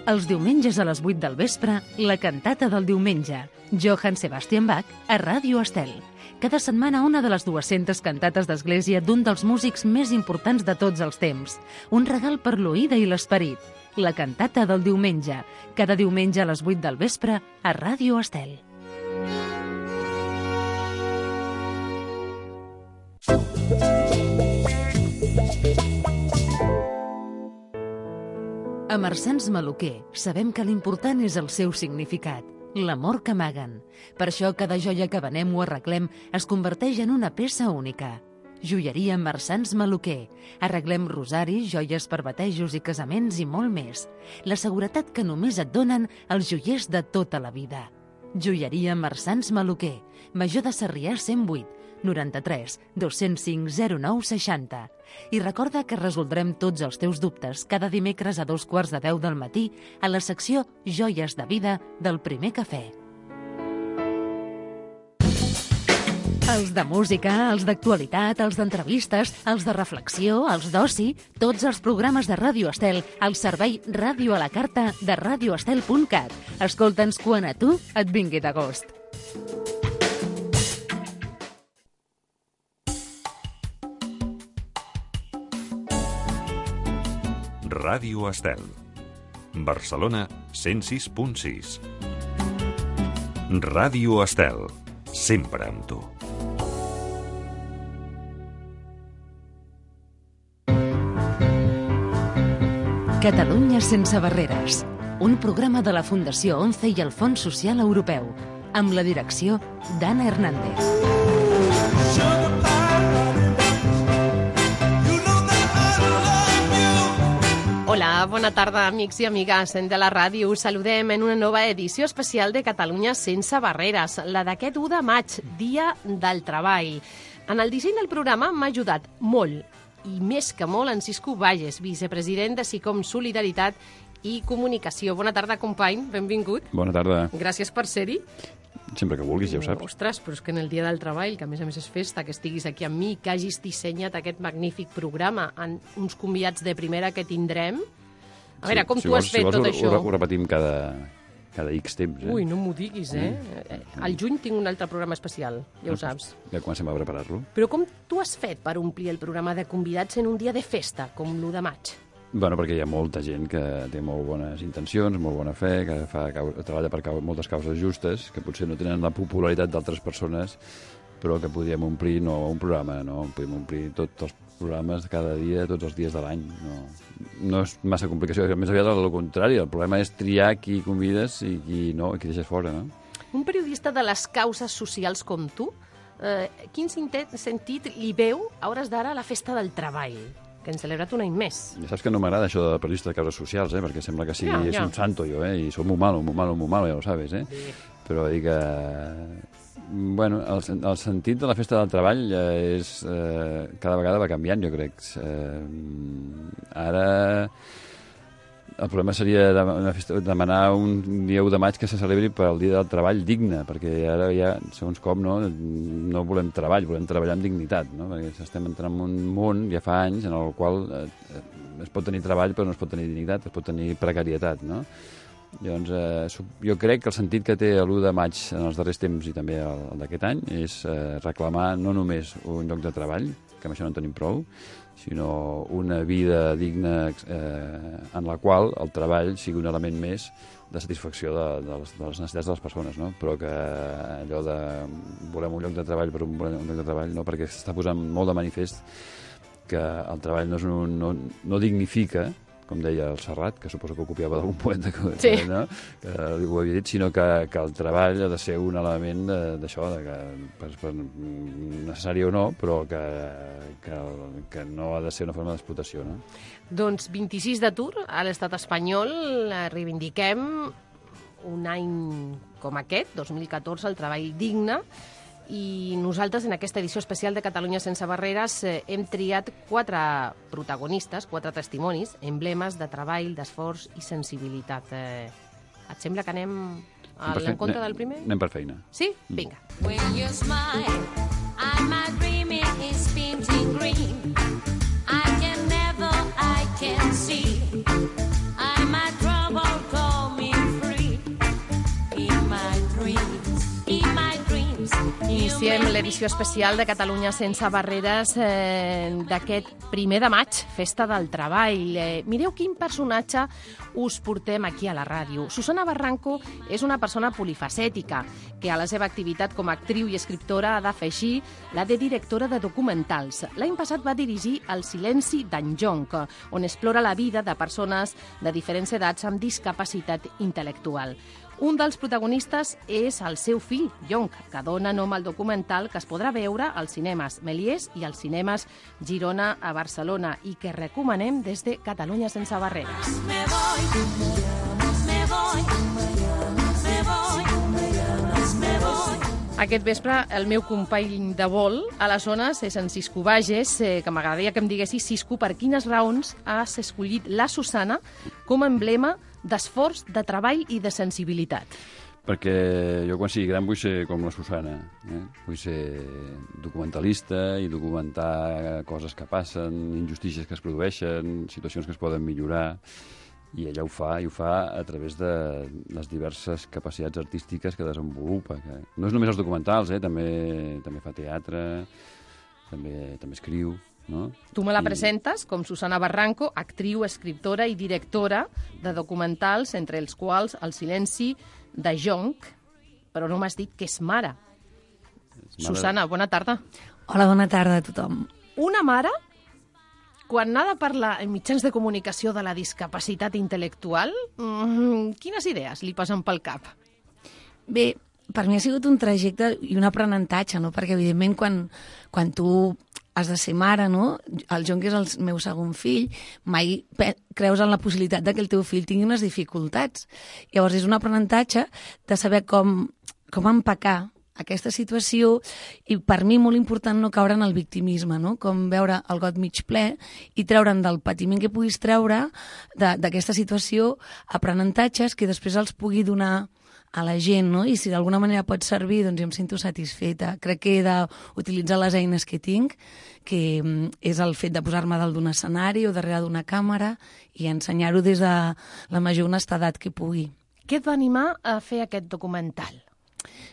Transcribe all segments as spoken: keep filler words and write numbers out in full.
Els diumenges a les vuit del vespre, la cantata del diumenge. Johann Sebastian Bach a Ràdio Estel. Cada setmana una de les dues-centes cantates d'església d'un dels músics més importants de tots els temps. Un regal per l'oïda i l'esperit. La cantata del diumenge. Cada diumenge a les vuit del vespre a Ràdio Estel. A Marsans Maluquer sabem que l'important és el seu significat, l'amor que amaguen. Per això cada joia que venem o arreglem es converteix en una peça única. Joieria Marsans Maluquer. Arreglem rosaris, joies per batejos i casaments i molt més. La seguretat que només et donen els joiers de tota la vida. Joieria Marsans Maluquer. Major de Sarrià cent vuit, noranta-tres, dos-cents cinc, zero nou, seixanta. I recorda que resoldrem tots els teus dubtes cada dimecres a dos quarts de deu del matí a la secció Joies de Vida del Primer Cafè. Els de música, els d'actualitat, els d'entrevistes, els de reflexió, els d'oci, tots els programes de Ràdio Estel al servei Ràdio a la Carta de radio estel punt cat. Escolta'ns quan a tu et vingui de gust. Ràdio Estel. Barcelona cent sis punt sis. Ràdio Estel. Sempre amb tu. Catalunya sense barreres. Un programa de la Fundació ONCE i el Fons Social Europeu. Amb la direcció d'Anna Hernández. Hola, bona tarda, amics i amigues de la ràdio. Us saludem en una nova edició especial de Catalunya sense barreres, la d'aquest u de maig, Dia del Treball. En el disseny del programa m'ha ajudat molt, i més que molt, en Cisco Bages, vicepresident de SICOM Solidaritat i Comunicació. Bona tarda, company, benvingut. Bona tarda. Gràcies per ser-hi. Sempre que vulguis, ja ho saps. Ostres, però és que en el Dia del Treball, que a més a més és festa, que estiguis aquí amb mi, que hagis dissenyat aquest magnífic programa, amb uns convidats de primera que tindrem. A veure, com si tu vols, has fet si vols, tot ho, això? Ho, ho repetim cada, cada X temps. Eh? Ui, no m'ho diguis, eh? Mm. Al juny tinc un altre programa especial, ja ho saps. Ja comencem a preparar-lo. Però com tu has fet per omplir el programa de convidats en un dia de festa, com l'u de maig? Bueno, perquè hi ha molta gent que té molt bones intencions, molt bona fe, que fa, treballa per cau, moltes causes justes, que potser no tenen la popularitat d'altres persones, però que podríem omplir no un programa, no? Podríem omplir tots els programes cada dia, tots els dies de l'any. No, no és massa complicació, més aviat al contrari, el problema és triar qui convides i qui no, i qui deixes fora, no? Un periodista de les causes socials com tu, eh, quin sentit li veu a hores d'ara la festa del treball? Que hem celebrat un any més. Ja saps que no m'agrada això de periodista de causes socials, eh? Perquè sembla que sigui ja, ja. un santo jo, eh? I soy muy malo, muy malo, muy malo, ja ho sabes, eh? Sí. Però dic que... Bueno, el, el sentit de la festa del treball eh, és... Eh, cada vegada va canviant, jo crec. Eh, ara... El problema seria demanar un dia u de maig que se celebri per al dia del treball digne, perquè ara ja, segons com, no, no volem treball, volem treballar amb dignitat, no? Perquè estem entrant en un món, ja fa anys, en el qual eh, es pot tenir treball però no es pot tenir dignitat, es pot tenir precarietat, no? Llavors, eh, jo crec que el sentit que té l'u de maig en els darrers temps i també el, el d'aquest any és eh, reclamar no només un lloc de treball, que amb això no en tenim prou, sinó una vida digna eh, en la qual el treball sigui un element més de satisfacció de, de, les, de les necessitats de les persones, no? Però que allò de volem un lloc de treball per un, un lloc de treball, no? Perquè s'està posant molt de manifest que el treball no, és un, no, no dignifica, com deia el Serrat, que suposo que ho copiava d'algun poeta que, sí. no? que ho havia dit, sinó que, que el treball ha de ser un element d'això, de, que per, per necessari o no, però que, que, que no ha de ser una forma d'explotació. No? Doncs vint-i-sis d'atur a l'estat espanyol, reivindiquem un any com aquest, dos mil catorze, el treball digne, i nosaltres en aquesta edició especial de Catalunya sense barreres eh, hem triat quatre protagonistes, quatre testimonis, emblemes de treball, d'esforç i sensibilitat. Eh, et sembla que anem a l'encontre del primer? Anem per feina. Sí? Vinga. When you smile, and my dreaming is painting green. I can never, I can see. I'm a troubled l'edició especial de Catalunya sense barreres eh, d'aquest primer de maig, Festa del Treball. Eh, mireu quin personatge us portem aquí a la ràdio. Susana Barranco és una persona polifacètica que a la seva activitat com a actriu i escriptora ha d'afegir la de directora de documentals. L'any passat va dirigir El silenci d'en Jonc, on explora la vida de persones de diferents edats amb discapacitat intel·lectual. Un dels protagonistes és el seu fill, Jonc, que dona nom al documental que es podrà veure als cinemes Meliers i als cinemes Girona a Barcelona i que recomanem des de Catalunya sense barreres. Me voy, me voy, me voy, me voy. Aquest vespre, el meu company de vol a la zona és en Cisco Bages, eh, que m'agradaria que em diguessis, Cisco, per quines raons has escollit la Susana com a emblema d'esforç, de treball i de sensibilitat. Perquè jo quan sigui gran vull ser com la Susana. Eh? Vull ser documentalista i documentar coses que passen, injustícies que es produeixen, situacions que es poden millorar. I ella ho fa, i ho fa a través de les diverses capacitats artístiques que desenvolupa. Que no és només els documentals, eh? també, també fa teatre, també, també escriu. No? Tu me la I... presentes com Susana Barranco, actriu, escriptora i directora de documentals, entre els quals El silenci de Jonc, però no m'has dit que és mare. És mare... Susana, bona tarda. Hola, bona tarda a tothom. Una mare, quan ha de parlar en mitjans de comunicació de la discapacitat intel·lectual, mmm, quines idees li passen pel cap? Bé, per mi ha sigut un trajecte i un aprenentatge, no? Perquè, evidentment, quan, quan tu has de ser mare, no? El Jonc és el meu segon fill, mai creus en la possibilitat de que el teu fill tingui unes dificultats. Llavors, és un aprenentatge de saber com, com empacar aquesta situació i per mi molt important no caure en el victimisme, no? Com veure el got mig ple i treure'n del patiment que puguis treure d'aquesta situació aprenentatges que després els pugui donar a la gent, no? I si d'alguna manera pot servir, doncs jo em sento satisfeta. Crec que he d'utilitzar les eines que tinc, que és el fet de posar-me dalt d'un escenari o darrere d'una càmera i ensenyar-ho des de la major honestedat que pugui. Què et va animar a fer aquest documental?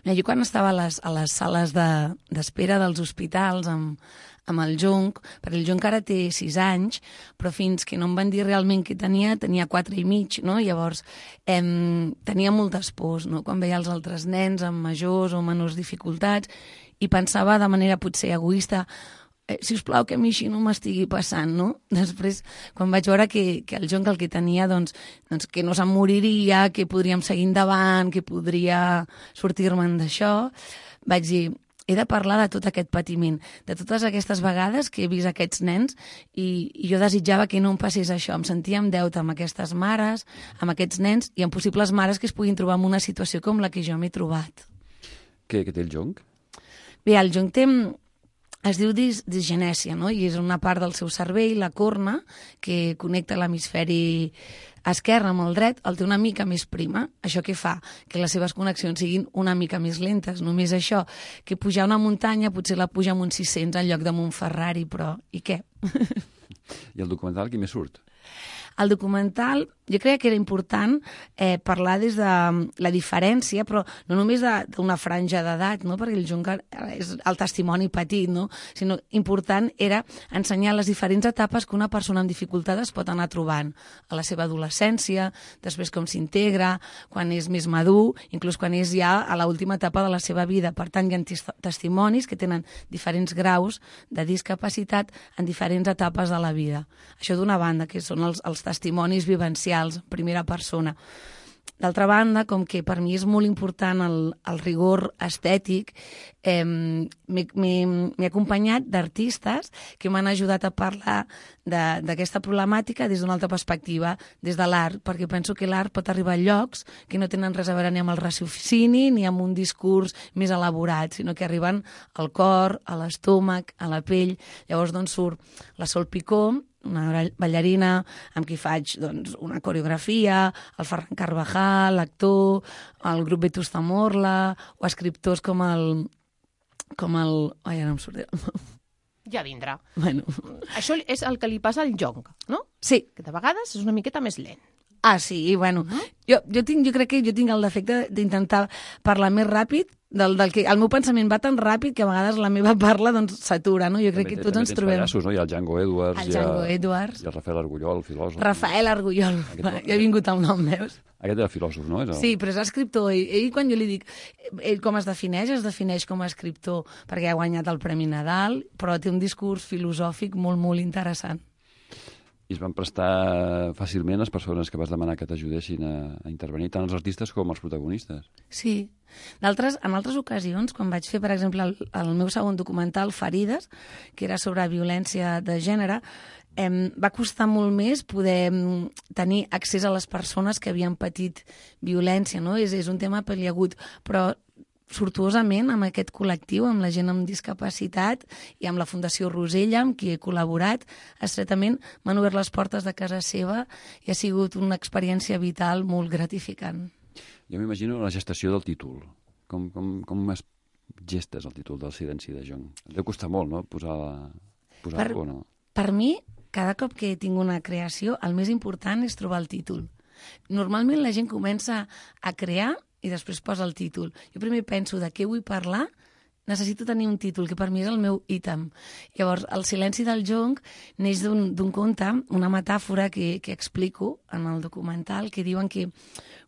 Mira, jo quan estava a les, a les sales d'espera de, dels hospitals amb, amb el Jonc, perquè el Jonc ara té sis anys, però fins que no em van dir realment què tenia, tenia quatre i mig, no? Llavors em, tenia moltes pors, no? Quan veia els altres nens amb majors o menors dificultats i pensava de manera potser egoista, eh, si us plau que a mi així no m'estigui passant, no? Després, quan vaig veure que, que el Jonc el que tenia, doncs, doncs que no se'n moriria, que podríem seguir endavant, que podria sortir-me'n d'això, vaig dir, he de parlar de tot aquest patiment, de totes aquestes vegades que he vist aquests nens i, i jo desitjava que no em passés això. Em sentia en deute amb aquestes mares, amb aquests nens i amb possibles mares que es puguin trobar en una situació com la que jo m'he trobat. Què, què té el Jonc? Bé, el Jonc té... Es diu dis, disgenèsia, no? I és una part del seu cervell, la corna, que connecta l'hemisferi esquerre amb el dret, el té una mica més prima. Això què fa? Que les seves connexions siguin una mica més lentes. Només això, que pujar una muntanya potser la puja amb uns sis-cents en lloc de un Ferrari, però i què? I el documental qui més surt? El documental, jo creia que era important eh, parlar des de la diferència, però no només d'una franja d'edat, no? Perquè el Jonc és el testimoni petit, no? Sinó important era ensenyar les diferents etapes que una persona amb dificultat es pot anar trobant a la seva adolescència, després com s'integra, quan és més madur, inclús quan és ja a l'última etapa de la seva vida. Per tant, hi ha testimonis que tenen diferents graus de discapacitat en diferents etapes de la vida. Això d'una banda, que són els, els testimonis vivencials, en primera persona. D'altra banda, com que per mi és molt important el, el rigor estètic, eh, m'he acompanyat d'artistes que m'han ajudat a parlar d'aquesta problemàtica des d'una altra perspectiva, des de l'art, perquè penso que l'art pot arribar a llocs que no tenen res a veure ni amb el raciocini ni amb un discurs més elaborat, sinó que arriben al cor, a l'estómac, a la pell. Llavors, doncs, surt la Sol Picó, una ballarina amb qui faig doncs, una coreografia, el Ferran Carvajal, l'actor, el grup Betus Zamorla, o escriptors com el... com el... Ai, ara em surt... Ja vindrà. Bueno. Això és el que li passa al Jonc, no? Sí. Que de vegades és una miqueta més lent. Ah, sí, bueno, uh -huh. jo, jo, tinc, jo crec que jo tinc el defecte d'intentar parlar més ràpid del, del que el meu pensament va tan ràpid que a vegades la meva parla doncs s'atura, no? Jo crec També que té- tots també ens tens trobem... pallassos, no? Hi ha el Django Edwards, El hi ha- Django Edwards. i el Rafael Argullol, el filòsof. Rafael Argullol, Aquest- va, ja he vingut al nom, veus? Aquest era filòsof, no? És el... Sí, però és escriptor. Ell, ell, quan jo li dic ell com es defineix, es defineix com a escriptor perquè ha guanyat el Premi Nadal, però té un discurs filosòfic molt, molt interessant. I es van prestar fàcilment les persones que vas demanar que t'ajudessin a, a intervenir, tant els artistes com els protagonistes. Sí. D'altres, en altres ocasions, quan vaig fer, per exemple, el, el meu segon documental, Ferides, que era sobre violència de gènere, em, va costar molt més poder em, tenir accés a les persones que havien patit violència, no? És, és un tema peliagut, però sortuosament amb aquest col·lectiu, amb la gent amb discapacitat i amb la Fundació Rosella, amb qui he col·laborat estretament, m'han obert les portes de casa seva i ha sigut una experiència vital molt gratificant. Jo m'imagino la gestació del títol. Com, com, com es gestes el títol del Silenci de Jong? Deu costar molt, no?, posar-lo posar Per- o no? Per mi, cada cop que tinc una creació, el més important és trobar el títol. Normalment la gent comença a crear i després posa el títol. Jo primer penso de què vull parlar, necessito tenir un títol, que per mi és el meu ítem. Llavors, el silenci del jonc neix d'un d'un conte, una metàfora que, que explico en el documental, que diuen que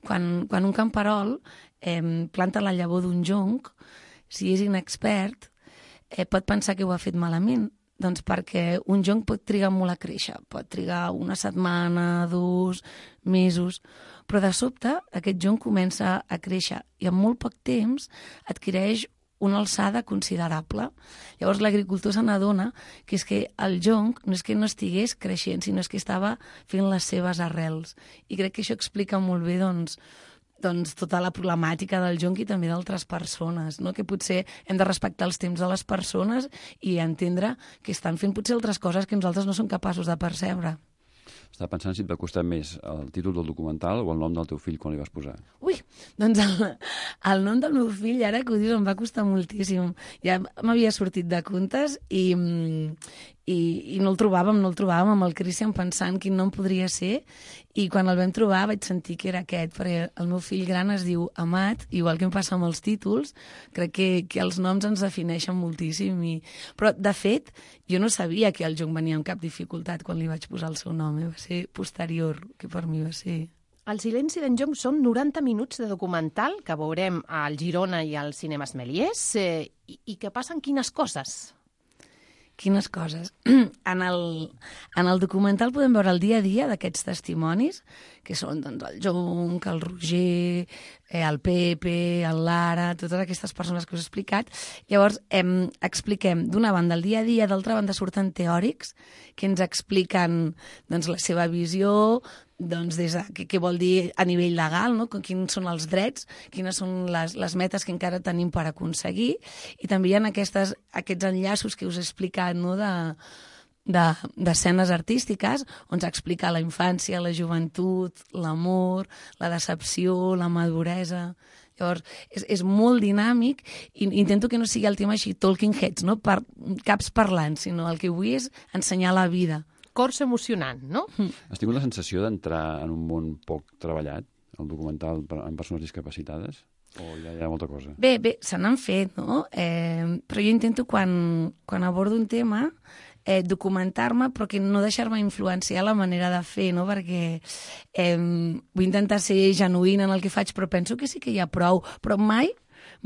quan, quan un camperol eh, planta la llavor d'un jonc, si és inexpert, eh, pot pensar que ho ha fet malament. Doncs perquè un jonc pot trigar molt a créixer, pot trigar una setmana, dos, mesos, però de sobte aquest jonc comença a créixer i en molt poc temps adquireix una alçada considerable. Llavors l'agricultor se n'adona que és que el jonc no és que no estigués creixent, sinó és que estava fent les seves arrels. I crec que això explica molt bé doncs, doncs, tota la problemàtica del jonc i també d'altres persones, no? Que potser hem de respectar els temps de les persones i entendre que estan fent potser altres coses que nosaltres no som capaços de percebre. Estava pensant si et va costar més el títol del documental o el nom del teu fill quan li vas posar. Ui, doncs el, el nom del meu fill, ara que ho dius, em va costar moltíssim. Ja m'havia sortit de comptes i, i, i no el trobàvem, no el trobàvem amb el Christian pensant quin nom podria ser, i quan el vam trobar vaig sentir que era aquest, perquè el meu fill gran es diu Amat, igual que em passa amb els títols, crec que, que els noms ens defineixen moltíssim. I... Però, de fet, jo no sabia que el jonc venia amb cap dificultat quan li vaig posar el seu nom, eh? Va ser posterior, que per mi va ser... El silenci d'en Jonc són noranta minuts de documental que veurem al Girona i al Cinemes Meliers eh, i, i que passen quines coses? Quines coses. En el, en el documental podem veure el dia a dia d'aquests testimonis, que són doncs, el Jonc, el Roger, eh, el Pepe, el Lara, totes aquestes persones que us he explicat. Llavors, em, expliquem d'una banda el dia a dia, d'altra banda surten teòrics que ens expliquen doncs, la seva visió, doncs, des de, què, què vol dir a nivell legal, no? Quins són els drets, quines són les, les metes que encara tenim per aconseguir, i també hi ha aquestes, aquests enllaços que us he explicat, no? de, de, d'escenes artístiques on s'explica la infància, la joventut, l'amor, la decepció, la maduresa. Llavors, és, és molt dinàmic i intento que no sigui el tema així talking heads, no? Per, caps parlant, sinó el que vull és ensenyar la vida. Cors emocionant, no? Has tingut la sensació d'entrar en un món poc treballat, el documental per- amb persones discapacitades? O ja hi ha molta cosa? Bé, bé, se n'han fet, no? Eh, però jo intento, quan, quan abordo un tema, eh, documentar-me, però que no deixar-me influenciar la manera de fer, no? Perquè eh, vull intentar ser genuïna en el que faig, però penso que sí que hi ha prou. Però mai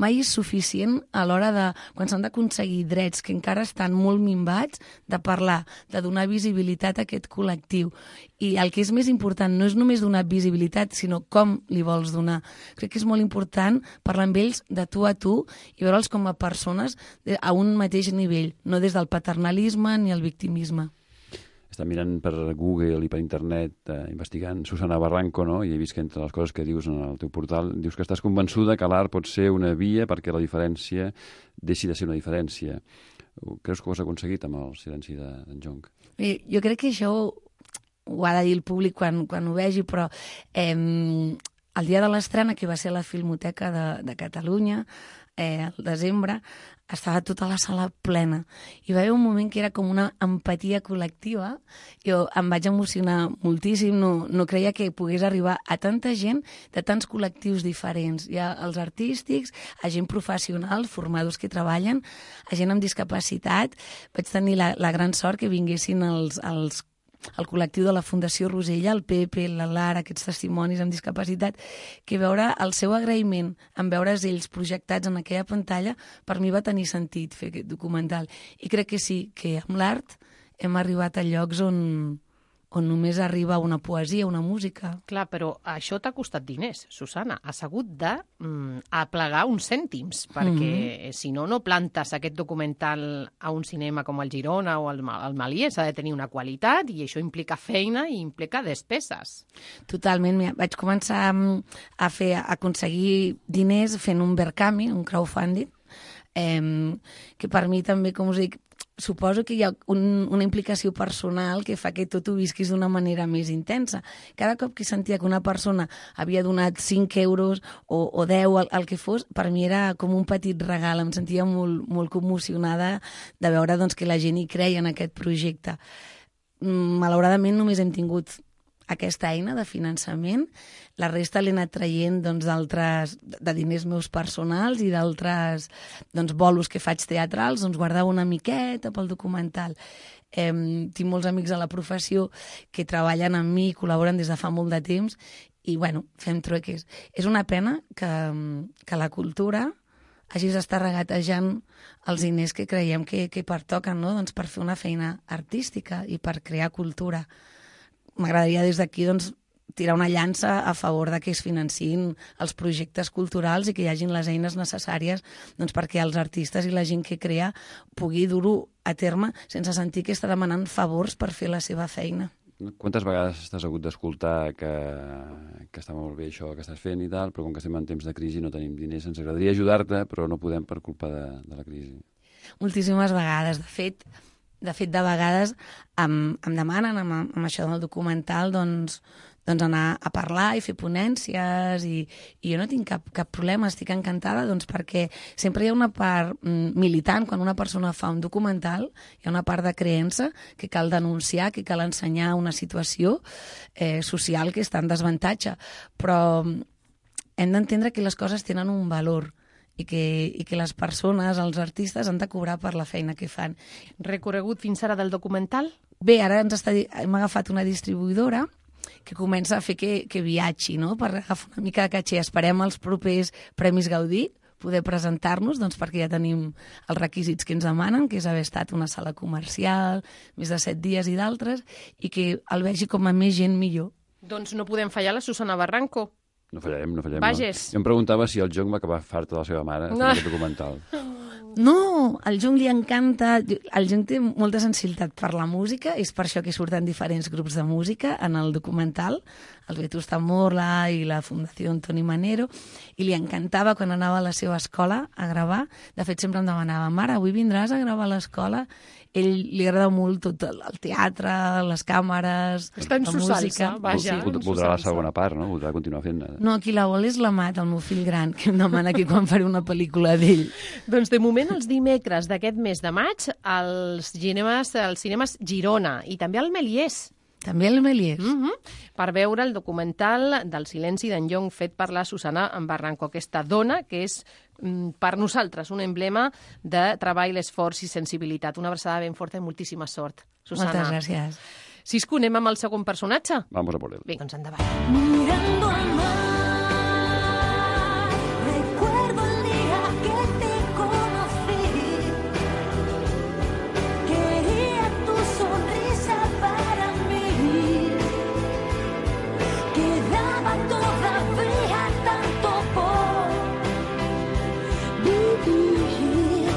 mai és suficient a l'hora de, quan s'han d'aconseguir drets que encara estan molt minvats, de parlar, de donar visibilitat a aquest col·lectiu. I el que és més important no és només donar visibilitat, sinó com li vols donar. Crec que és molt important parlar amb ells de tu a tu i veure'ls com a persones a un mateix nivell, no des del paternalisme ni el victimisme. Està mirant per Google i per internet, eh, investigant Susana Barranco, no? I he vist que entre les coses que dius en el teu portal, dius que estàs convençuda que l'art pot ser una via perquè la diferència deixi de ser una diferència. Creus que ho has aconseguit amb el silenci d'en de, Jonc? Bé, jo crec que això ho ha de dir el públic quan, quan ho vegi, però eh, el dia de l'estrena, que va ser a la Filmoteca de, de Catalunya, eh, al desembre, estava tota la sala plena. I va haver un moment que era com una empatia col·lectiva. Jo em vaig emocionar moltíssim, no, no creia que pogués arribar a tanta gent de tants col·lectius diferents. Hi ha els artístics, a gent professional, formadors que treballen, a gent amb discapacitat. Vaig tenir la, la gran sort que vinguessin els, els el col·lectiu de la Fundació Rosella, el Pepe, la Lara, aquests testimonis amb discapacitat, que veure el seu agraïment en veure's ells projectats en aquella pantalla, per mi va tenir sentit fer aquest documental. I crec que sí, que amb l'art hem arribat a llocs on, on només arriba una poesia, una música. Clar, però això t'ha costat diners, Susana. Has hagut de mm, aplegar uns cèntims, perquè mm-hmm. si no, no plantes aquest documental a un cinema com el Girona o el, el Malier. S'ha de tenir una qualitat i això implica feina i implica despeses. Totalment. Mira, vaig començar a fer, a aconseguir diners fent un Verkami, un crowdfunding, eh, que per mi també, com us dic, suposo que hi ha un, una implicació personal que fa que tot ho visquis d'una manera més intensa. Cada cop que sentia que una persona havia donat cinc euros o, o deu, el, el que fos, per mi era com un petit regal. Em sentia molt, molt commocionada de veure doncs, que la gent hi creia en aquest projecte. Malauradament només hem tingut aquesta eina de finançament. La resta l'he anat traient doncs, d'altres, de diners meus personals i d'altres doncs, bolos que faig teatrals, doncs guardava una miqueta pel documental. Eh, tinc molts amics a la professió que treballen amb mi i col·laboren des de fa molt de temps i, bueno, fem trueques. És una pena que, que la cultura hagis d'estar regatejant els diners que creiem que, que pertoquen, no? Doncs per fer una feina artística i per crear cultura. M'agradaria des d'aquí doncs, tirar una llança a favor de que es financin els projectes culturals i que hi hagin les eines necessàries doncs, perquè els artistes i la gent que crea pugui dur-ho a terme sense sentir que està demanant favors per fer la seva feina. Quantes vegades t'has hagut d'escoltar que, que està molt bé això que estàs fent i tal, però com que estem en temps de crisi no tenim diners, ens agradaria ajudar-te, però no podem per culpa de, de la crisi? Moltíssimes vegades. De fet, de fet, de vegades em, em demanen amb, amb això del documental doncs, doncs anar a parlar i fer ponències i, i jo no tinc cap, cap problema, estic encantada doncs, perquè sempre hi ha una part mm, militant, quan una persona fa un documental, hi ha una part de creença que cal denunciar, que cal ensenyar una situació eh, social que està en desavantatge, però hem d'entendre que les coses tenen un valor i que, i que les persones, els artistes, han de cobrar per la feina que fan. Recorregut fins ara del documental? Bé, ara ens està, hem agafat una distribuïdora que comença a fer que, que viatgi, no? Per agafar una mica de caché. Esperem els propers Premis Gaudí poder presentar-nos, doncs perquè ja tenim els requisits que ens demanen, que és haver estat una sala comercial, més de set dies i d'altres, i que el vegi com a més gent millor. Doncs no podem fallar la Susana Barranco. No fallarem, no fallarem. Vages. No. Jo em preguntava si el Jong va acabar farta de la seva mare fent No. aquest documental. No, al Jung li encanta... El Jung té molta sensibilitat per la música, és per això que surten diferents grups de música en el documental, el Vetusta Morla i la Fundació Toni Manero, i li encantava quan anava a la seva escola a gravar. De fet, sempre em demanava, mare, avui vindràs a gravar a l'escola? Ell li agrada molt tot el el teatre, les càmeres, Està en la su música. salsa, vaja. Vol- en su Voldrà la salsa. segona part, no? Voldrà continuar fent. No, qui la vol és la Mat, el meu fill gran, que em demana que quan faré una pel·lícula d'ell. Doncs de moment els dimecres d'aquest mes de maig als cinemes, als cinemes Girona i també al Meliers. També el Meliers. Mm -hmm. Per veure el documental del silenci d'en Llong fet per la Susana Barranco, aquesta dona que és mm, per nosaltres un emblema de treball, esforç i sensibilitat. Una abraçada ben forta i moltíssima sort, Susana. Moltes gràcies. Cisco, anem amb el segon personatge? Vamos a por él. Bé, doncs endavant. Mirando al mar, recuerdo el día que te conocí. Quería tu sonrisa para mí. Quedaba todavía tanto por vivir.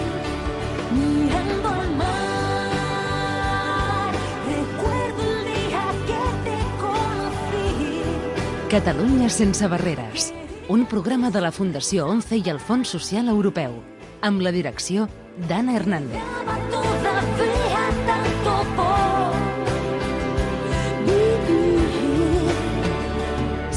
Mirando al mar, recuerdo el día que te conocí. Catalunya sense barreres. Un programa de la Fundació ONCE i el Fons Social Europeu. Amb la direcció d'Anna Hernández. Quedaba todavía tanto por vivir.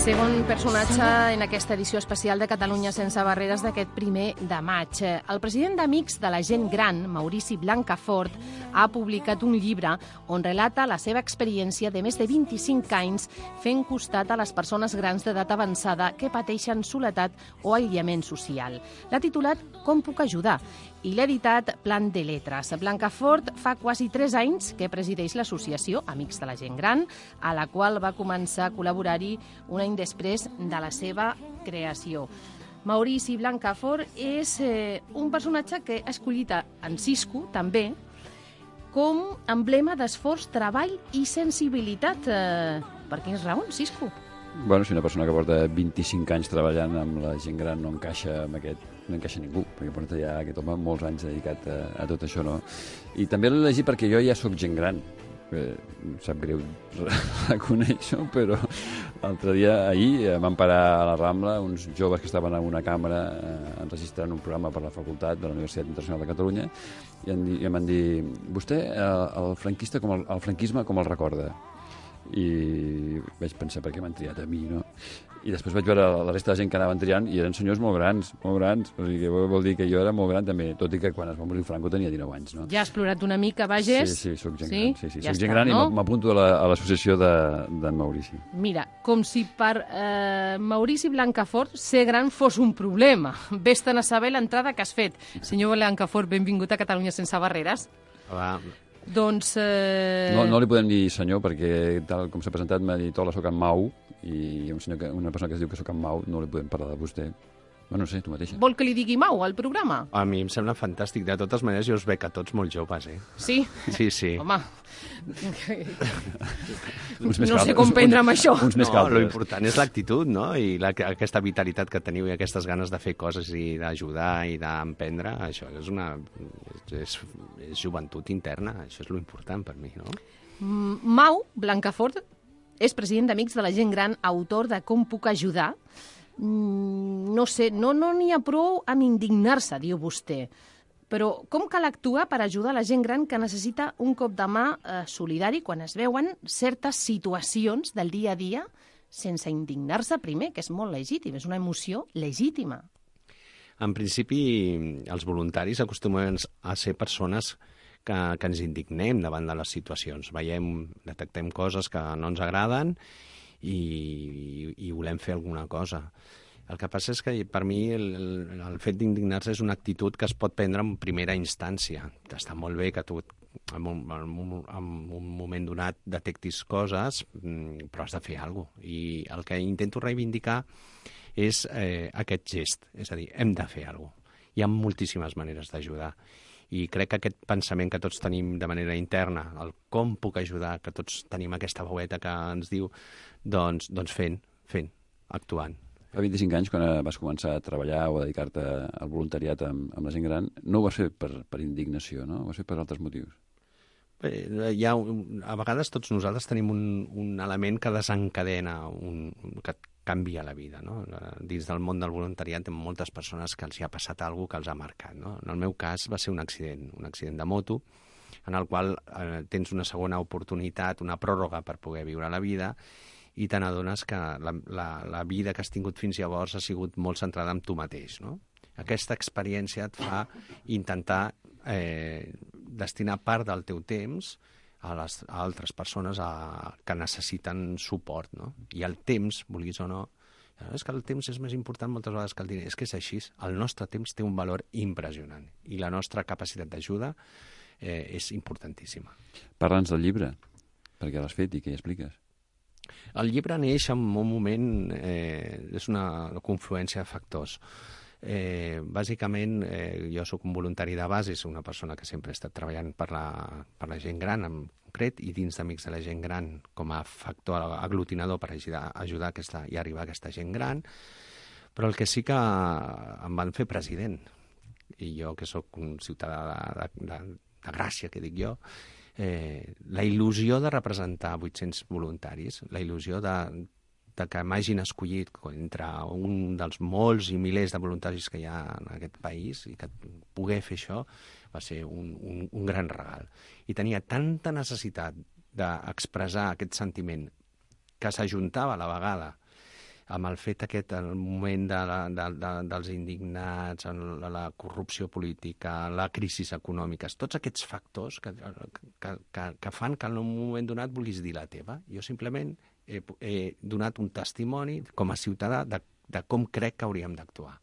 Segon personatge en aquesta edició especial de Catalunya sense barreres d'aquest primer de maig. El president d'Amics de la Gent Gran, Maurici Blancafort, ha publicat un llibre on relata la seva experiència de més de vint-i-cinc anys fent costat a les persones grans d'edat avançada que pateixen soledat o aïllament social. L'ha titulat Com puc ajudar? I l'ha editat Plan de Letres. Blancafort fa quasi tres anys que presideix l'associació Amics de la Gent Gran, a la qual va començar a col·laborar-hi un any després de la seva creació. Maurici Blancafort és eh, un personatge que ha escollit en Cisco, també, com emblema d'esforç, treball i sensibilitat. Eh, per quines raons, Cisco? Bueno, si una persona que porta vint-i-cinc anys treballant amb la gent gran no encaixa amb aquest, no encaixa ningú, perquè porta ja aquest home molts anys dedicat a, a tot això, no? I també l'he llegit perquè jo ja sóc gent gran. Eh, em sap greu reconèixer-ho, però l'altre dia, ahir, vam parar a la Rambla uns joves que estaven en una càmera eh, enregistrant un programa per la facultat de la Universitat Internacional de Catalunya i em, i em van dir, vostè el, el franquista com el, el franquisme com el recorda? I vaig pensar per què m'han triat a mi, no? I després vaig veure la resta de gent que anaven triant i eren senyors molt grans, molt grans. O sigui, vol dir que jo era molt gran també, tot i que quan es va morir Franco tenia dinou anys, no? Ja has plorat una mica, Bages? Sí, sí, soc gent sí? gran. Sí, sí, ja soc està, gent gran no? i m'apunto a l'associació la, d'en Maurici. Mira, com si per eh, Maurici Blancafort ser gran fos un problema. Vés-te'n a saber l'entrada que has fet. Senyor Blancafort, benvingut a Catalunya sense barreres. Hola. Doncs... Eh... No, no li podem dir senyor perquè, tal com s'ha presentat, m'ha dit hola, soc en Mau, i un senyor que, una persona que es diu que soc en Mau, no li podem parlar de vostè. Bueno, no sé, tu mateixa. Vol que li digui Mau al programa? A mi em sembla fantàstic. De totes maneres, jo us veig a tots molt joves, eh? Sí? Sí, sí. Home... Uns més no caldes, sé com prendre amb això. Uns més No, caldes. lo important és l'actitud, no? I la, aquesta vitalitat que teniu i aquestes ganes de fer coses i d'ajudar i d'emprendre, això és una... És, és joventut interna, això és lo important per mi, no? Mm, Mau Blancafort és president d'Amics de la Gent Gran, autor de Com puc ajudar. Mm, no sé, no no n'hi ha prou amb indignar-se, diu vostè. Però com cal actuar per ajudar la gent gran que necessita un cop de mà eh, solidari quan es veuen certes situacions del dia a dia sense indignar-se primer, que és molt legítim, és una emoció legítima? En principi, els voluntaris acostumen a ser persones que, que ens indignem davant de les situacions. Veiem, detectem coses que no ens agraden i, i, i volem fer alguna cosa. El que passa és que per mi el, el, el fet d'indignar-se és una actitud que es pot prendre en primera instància. Està molt bé que tu en un, en un, en un moment donat detectis coses, però has de fer alguna cosa. I el que intento reivindicar és eh, aquest gest, és a dir, hem de fer alguna cosa. Hi ha moltíssimes maneres d'ajudar. I crec que aquest pensament que tots tenim de manera interna, el com puc ajudar, que tots tenim aquesta veueta que ens diu, doncs, doncs fent, fent, actuant. Fa vint-i-cinc anys, quan vas començar a treballar o a dedicar-te al voluntariat amb, amb la gent gran, no ho vas fer per, per indignació, no? Ho vas fer per altres motius. Bé, hi ha, a vegades tots nosaltres tenim un, un element que desencadena, un, que canvia la vida, no? Dins del món del voluntariat hi ha moltes persones que els hi ha passat alguna que els ha marcat, no? En el meu cas va ser un accident, un accident de moto, en el qual eh, tens una segona oportunitat, una pròrroga per poder viure la vida, i te n'adones que la, la, la vida que has tingut fins llavors ha sigut molt centrada en tu mateix, no? Aquesta experiència et fa intentar eh, destinar part del teu temps a, les, a altres persones a, que necessiten suport, no? I el temps, vulguis o no, és que el temps és més important moltes vegades que el diner. És que és així. El nostre temps té un valor impressionant i la nostra capacitat d'ajuda eh, és importantíssima. Parla'ns del llibre, perquè l'has fet i què hi expliques? El llibre neix en un moment, eh, és una confluència de factors. Eh, bàsicament, eh, jo sóc un voluntari de base, soc una persona que sempre he estat treballant per la, per la gent gran en concret i dins d'Amics de la Gent Gran com a factor aglutinador per ajudar, ajudar aquesta, i arribar a aquesta gent gran, però el que sí que em van fer president, i jo que sóc un ciutadà de, de, de, de Gràcia, que dic jo, Eh, la il·lusió de representar vuit-cents voluntaris, la il·lusió de, de que m'hagin escollit entre un dels molts i milers de voluntaris que hi ha en aquest país i que poder fer això va ser un, un, un gran regal. I tenia tanta necessitat d'expressar aquest sentiment que s'ajuntava a la vegada amb el fet aquest, el moment de la, de, de, dels indignats, la, la corrupció política, la crisi econòmica, tots aquests factors que, que, que, que fan que en un moment donat vulguis dir la teva. Jo simplement he, he donat un testimoni com a ciutadà de, de com crec que hauríem d'actuar.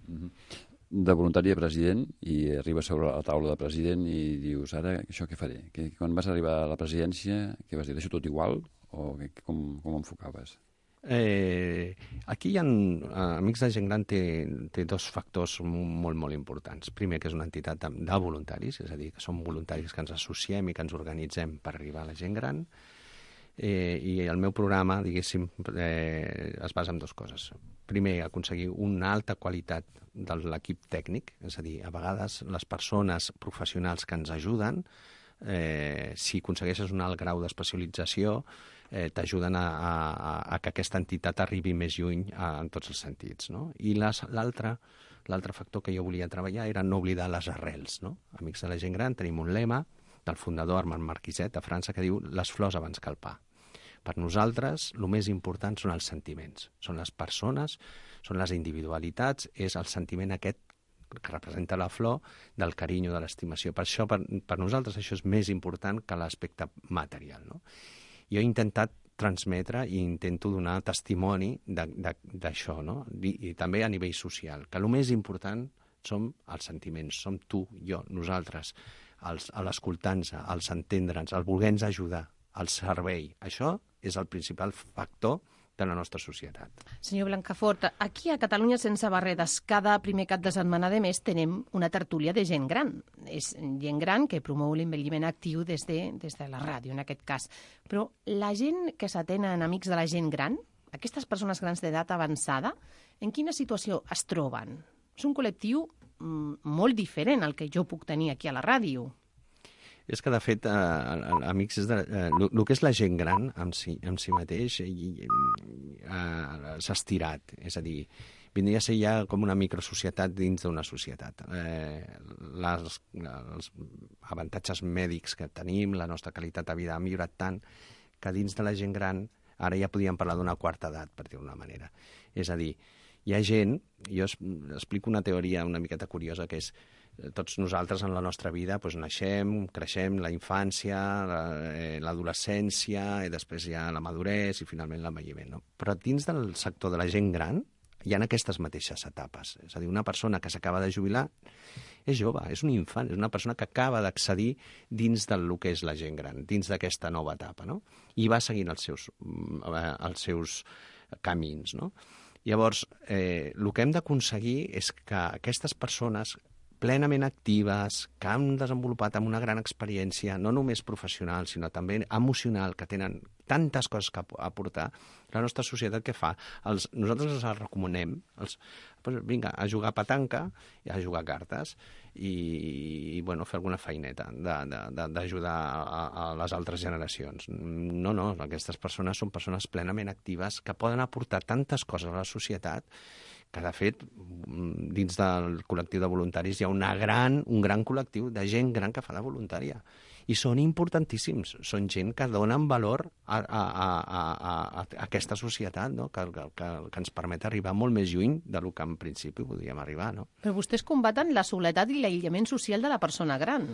Mm-hmm. De voluntari a president, i arribes sobre la taula de president i dius, ara això què faré? Que, quan vas arribar a la presidència, què vas dir? Deixo tot igual? O que, com, com enfocaves? Eh, aquí hi ha, Amics de Gent Gran té, té dos factors molt, molt importants. Primer, que és una entitat de, de voluntaris, és a dir, que som voluntaris que ens associem i que ens organitzem per arribar a la gent gran. Eh, I el meu programa, diguéssim, eh, es basa en dues coses. Primer, aconseguir una alta qualitat de l'equip tècnic, és a dir, a vegades les persones professionals que ens ajuden, eh, si aconsegueixes un alt grau d'especialització, eh, t'ajuden a, a, a que aquesta entitat arribi més lluny a, en tots els sentits, no? I l'altre l'altre factor que jo volia treballar era no oblidar les arrels, no? Amics de la Gent Gran tenim un lema del fundador Armand Marquiset de França que diu les flors abans que el pa. Per nosaltres, el més important són els sentiments, són les persones, són les individualitats, és el sentiment aquest que representa la flor del carinyo, de l'estimació. Per això, per, per nosaltres, això és més important que l'aspecte material, no? Jo he intentat transmetre i intento donar testimoni d'això, no? I, i també a nivell social, que el més important són els sentiments, som tu, jo, nosaltres, els, l'escoltar-nos, els entendre'ns, el voler-nos ajudar, el servei. Això és el principal factor de la nostra societat. Senyor Blancafort, aquí a Catalunya Sense Barreres, cada primer cap de setmana de mes tenem una tertúlia de gent gran. És gent gran que promou l'envelliment actiu des de, des de la ràdio, en aquest cas. Però la gent que s'atén en Amics de la Gent Gran, aquestes persones grans d'edat avançada, en quina situació es troben? És un col·lectiu mm, molt diferent al que jo puc tenir aquí a la ràdio. És que, de fet, eh, amics, és de, eh, el, el que és la gent gran en si, en si mateix eh, eh, s'ha estirat. És a dir, vindria a ser ja com una microsocietat dins d'una societat. Eh, les, els avantatges mèdics que tenim, la nostra qualitat de vida ha millorat tant que dins de la gent gran ara ja podíem parlar d'una quarta edat, per dir-ho d'una manera. És a dir, hi ha gent, jo explico una teoria una miqueta curiosa, que és tots nosaltres en la nostra vida doncs, naixem, creixem, la infància, l'adolescència, i després hi ha la maduresa i finalment l'envelliment. No? Però dins del sector de la gent gran hi ha aquestes mateixes etapes. És a dir, una persona que s'acaba de jubilar és jove, és un infant, és una persona que acaba d'accedir dins del que és la gent gran, dins d'aquesta nova etapa, no? I va seguint els seus, els seus camins. No? Llavors, eh, el que hem d'aconseguir és que aquestes persones plenament actives, que han desenvolupat amb una gran experiència, no només professional, sinó també emocional, que tenen tantes coses que aportar, la nostra societat què fa? Els, nosaltres els recomanem, els, doncs, vinga, a jugar a petanca, i a jugar a cartes, i, i bueno, fer alguna feineta d'ajudar a, a les altres generacions. No, no, aquestes persones són persones plenament actives que poden aportar tantes coses a la societat que, de fet, dins del col·lectiu de voluntaris hi ha una gran, un gran col·lectiu de gent gran que fa de voluntària. I són importantíssims. Són gent que donen valor a, a, a, a, a aquesta societat, no? que, que, que ens permet arribar molt més lluny del que en principi podíem arribar. No? Però vostès combaten la soledat i l'aïllament social de la persona gran.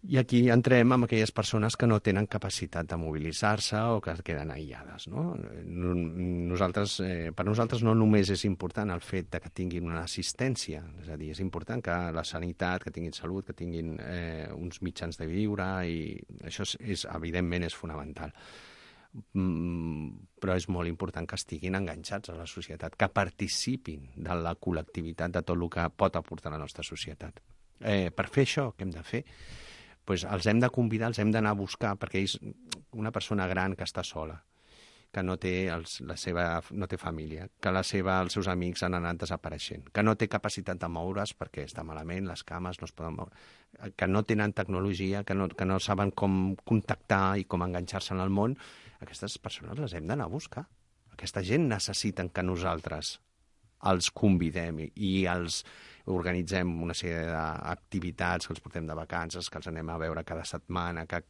I aquí entrem amb aquelles persones que no tenen capacitat de mobilitzar-se o que queden aïllades. No? Nosaltres, eh, per nosaltres no només és important el fet de que tinguin una assistència, és a dir, és important que la sanitat, que tinguin salut, que tinguin eh, uns mitjans de viure, i això és, és, evidentment és fonamental. Mm, però és molt important que estiguin enganxats a la societat, que participin de la col·lectivitat, de tot el que pot aportar la nostra societat. Eh, per fer això, què hem de fer? Pues els hem de convidar, els hem d'anar a buscar, perquè és una persona gran que està sola, que no té, els, la seva, no té família, que la seva, els seus amics han anat desapareixent, que no té capacitat de moure's perquè està malament, les cames no es poden moure, que no tenen tecnologia, que no, que no saben com contactar i com enganxar-se en el món. Aquestes persones les hem d'anar a buscar. Aquesta gent necessiten que nosaltres els convidem i els organitzem una sèrie d'activitats, que els portem de vacances, que els anem a veure cada setmana, que,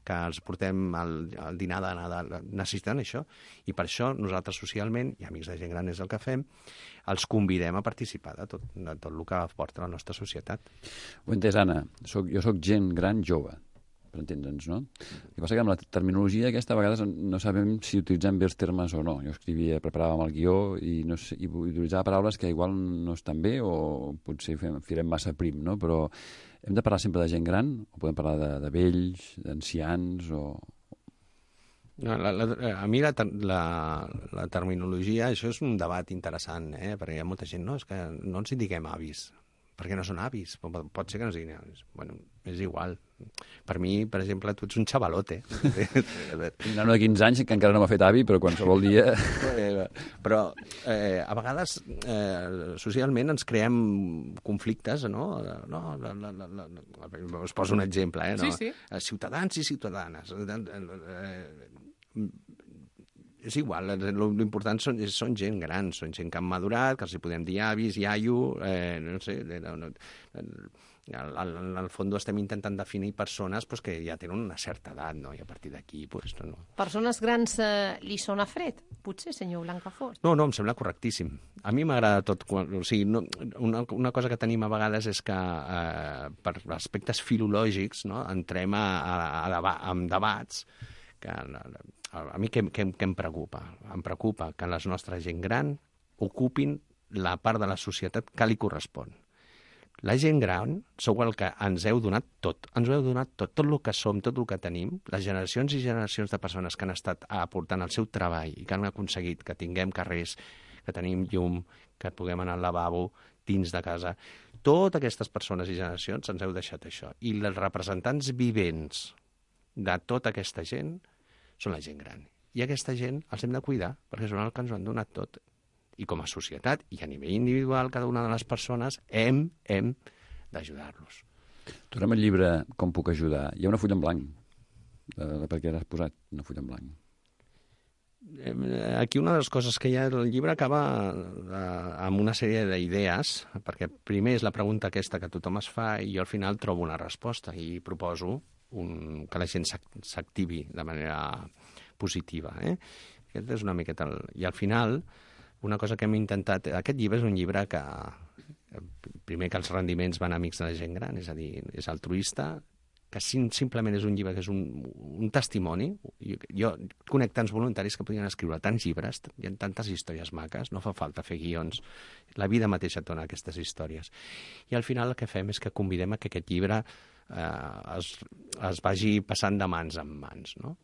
que els portem al, al dinar de Nadal. Necessiten això, i per això nosaltres socialment, i Amics de Gent Gran és el que fem, els convidem a participar de tot, de tot el que aporta la nostra societat. Ho he entès, Anna. Soc, jo sóc gent gran jove, per entendre'ns, no? El que passa que amb la terminologia aquesta a vegades no sabem si utilitzem bé els termes o no. Jo escrivia, preparàvem el guió i, no sé, i utilitzava paraules que igual no estan bé o potser fem, firem massa prim, no? Però hem de parlar sempre de gent gran o podem parlar de, de vells, d'ancians o... No, la, la, a mi la, la, la terminologia, això és un debat interessant, eh? Perquè hi ha molta gent, no, és que no ens indiquem avis, perquè no són avis, pot ser que no siguin avis. Bueno, és igual. Per mi, per exemple, tu ets un xavalote. Un nano de quinze anys que encara no m'ha fet avi, però qualsevol dia... Però eh, a vegades eh, socialment ens creem conflictes, no? no la, la, la, la, us poso un exemple, eh? No? Sí, sí. Ciutadans i ciutadanes. Eh, és igual, l'important són, són gent gran, són gent que han madurat, que els hi podem dir avis, iaio, eh, no sé, no, no, al, al, al fons estem intentant definir persones pues, que ja tenen una certa edat, no? I a partir d'aquí... Pues, no, no. Persones grans eh, li sona fred, potser, senyor Blancafort? No, no, em sembla correctíssim. A mi m'agrada tot. Quan, o sigui, no, una, una cosa que tenim a vegades és que eh, per aspectes filològics no, entrem a, a, a, deba a debats que... A mi què, què, què em preocupa? Em preocupa que la nostra gent gran ocupin la part de la societat que li correspon. La gent gran sou el que ens heu donat tot. Ens heu donat tot, tot el que som, tot el que tenim. Les generacions i generacions de persones que han estat aportant el seu treball i que han aconseguit que tinguem carrers, que tenim llum, que puguem anar al lavabo dins de casa. Totes aquestes persones i generacions ens heu deixat això. I els representants vivents de tota aquesta gent són la gent gran. I aquesta gent els hem de cuidar, perquè són els que ens ho han donat tot. I com a societat, i a nivell individual, cada una de les persones, hem, hem d'ajudar-los. Tornem al llibre Com puc ajudar. Hi ha una fulla en blanc. Eh, per què l'has posat, una fulla en blanc? Aquí una de les coses que hi ha, el llibre acaba eh, amb una sèrie d'idees, perquè primer és la pregunta aquesta que tothom es fa i jo al final trobo una resposta i proposo un, que la gent s'activi de manera positiva. Eh? Aquest és una miqueta... El... I al final, una cosa que hem intentat... Aquest llibre és un llibre que... Primer que els rendiments van a amics de la gent gran, és a dir, és altruista, que sim, simplement és un llibre que és un, un testimoni. Jo, jo conec tants voluntaris que podien escriure tants llibres, hi ha tantes històries maques, no fa falta fer guions. La vida mateixa et dona aquestes històries. I al final el que fem és que convidem a que aquest llibre eh, es, es vagi passant de mans en mans. No?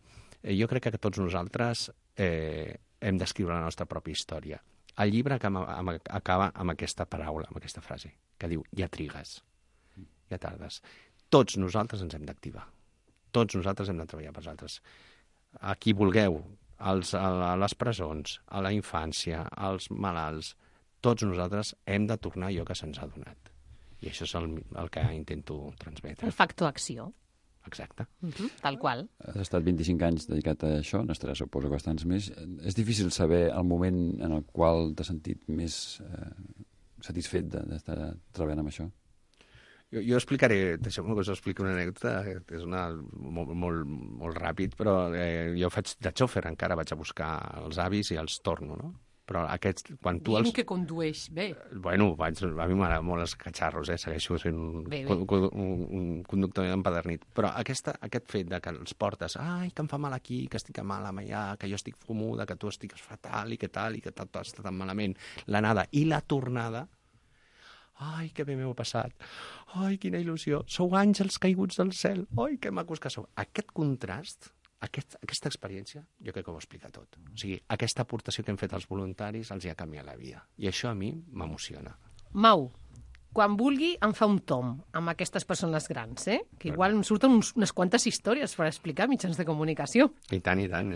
Eh, jo crec que tots nosaltres eh, hem d'escriure la nostra pròpia història. El llibre acaba amb, acaba amb aquesta paraula, amb aquesta frase, que diu, ja trigues, ja tardes. Tots nosaltres ens hem d'activar. Tots nosaltres hem de treballar per altres. A qui vulgueu, als, a les presons, a la infància, als malalts, tots nosaltres hem de tornar allò que se'ns ha donat. I això és el, el que intento transmetre. El factor acció. Exacte. Uh-huh, tal qual. Has estat vint-i-cinc anys dedicat a això, n'estaràs, suposo, bastants més. És difícil saber el moment en el qual t'has sentit més eh, satisfet d'estar treballant amb això? Jo, jo explicaré, deixeu-me que us expliqui una anècdota, és una, molt, molt, molt ràpid, però eh, jo faig de xòfer encara, vaig a buscar els avis i els torno, no? Però aquests, quan tu Diem els... que condueix bé. Bueno, vaig, a mi m'agrada molt els catxarros, eh? Segueixo sent un, bé, bé. un, un, un conductor empadernit. Però aquesta, aquest fet de que els portes, ai, que em fa mal aquí, que estic mal allà, que jo estic fumuda, que tu estigues fatal i que tal, i que tot està tan malament, l'anada i la tornada, ai, que bé m'heu passat, ai, quina il·lusió, sou àngels caiguts del cel, ai, que macos que sou. Aquest contrast, aquest, aquesta experiència, jo crec que ho explica tot. O sigui, aquesta aportació que hem fet als voluntaris els hi ha canviat la vida. I això a mi m'emociona. Mau, quan vulgui em fa un tom amb aquestes persones grans, eh? Que igual em surten uns, unes quantes històries per explicar mitjans de comunicació. I tant, i tant.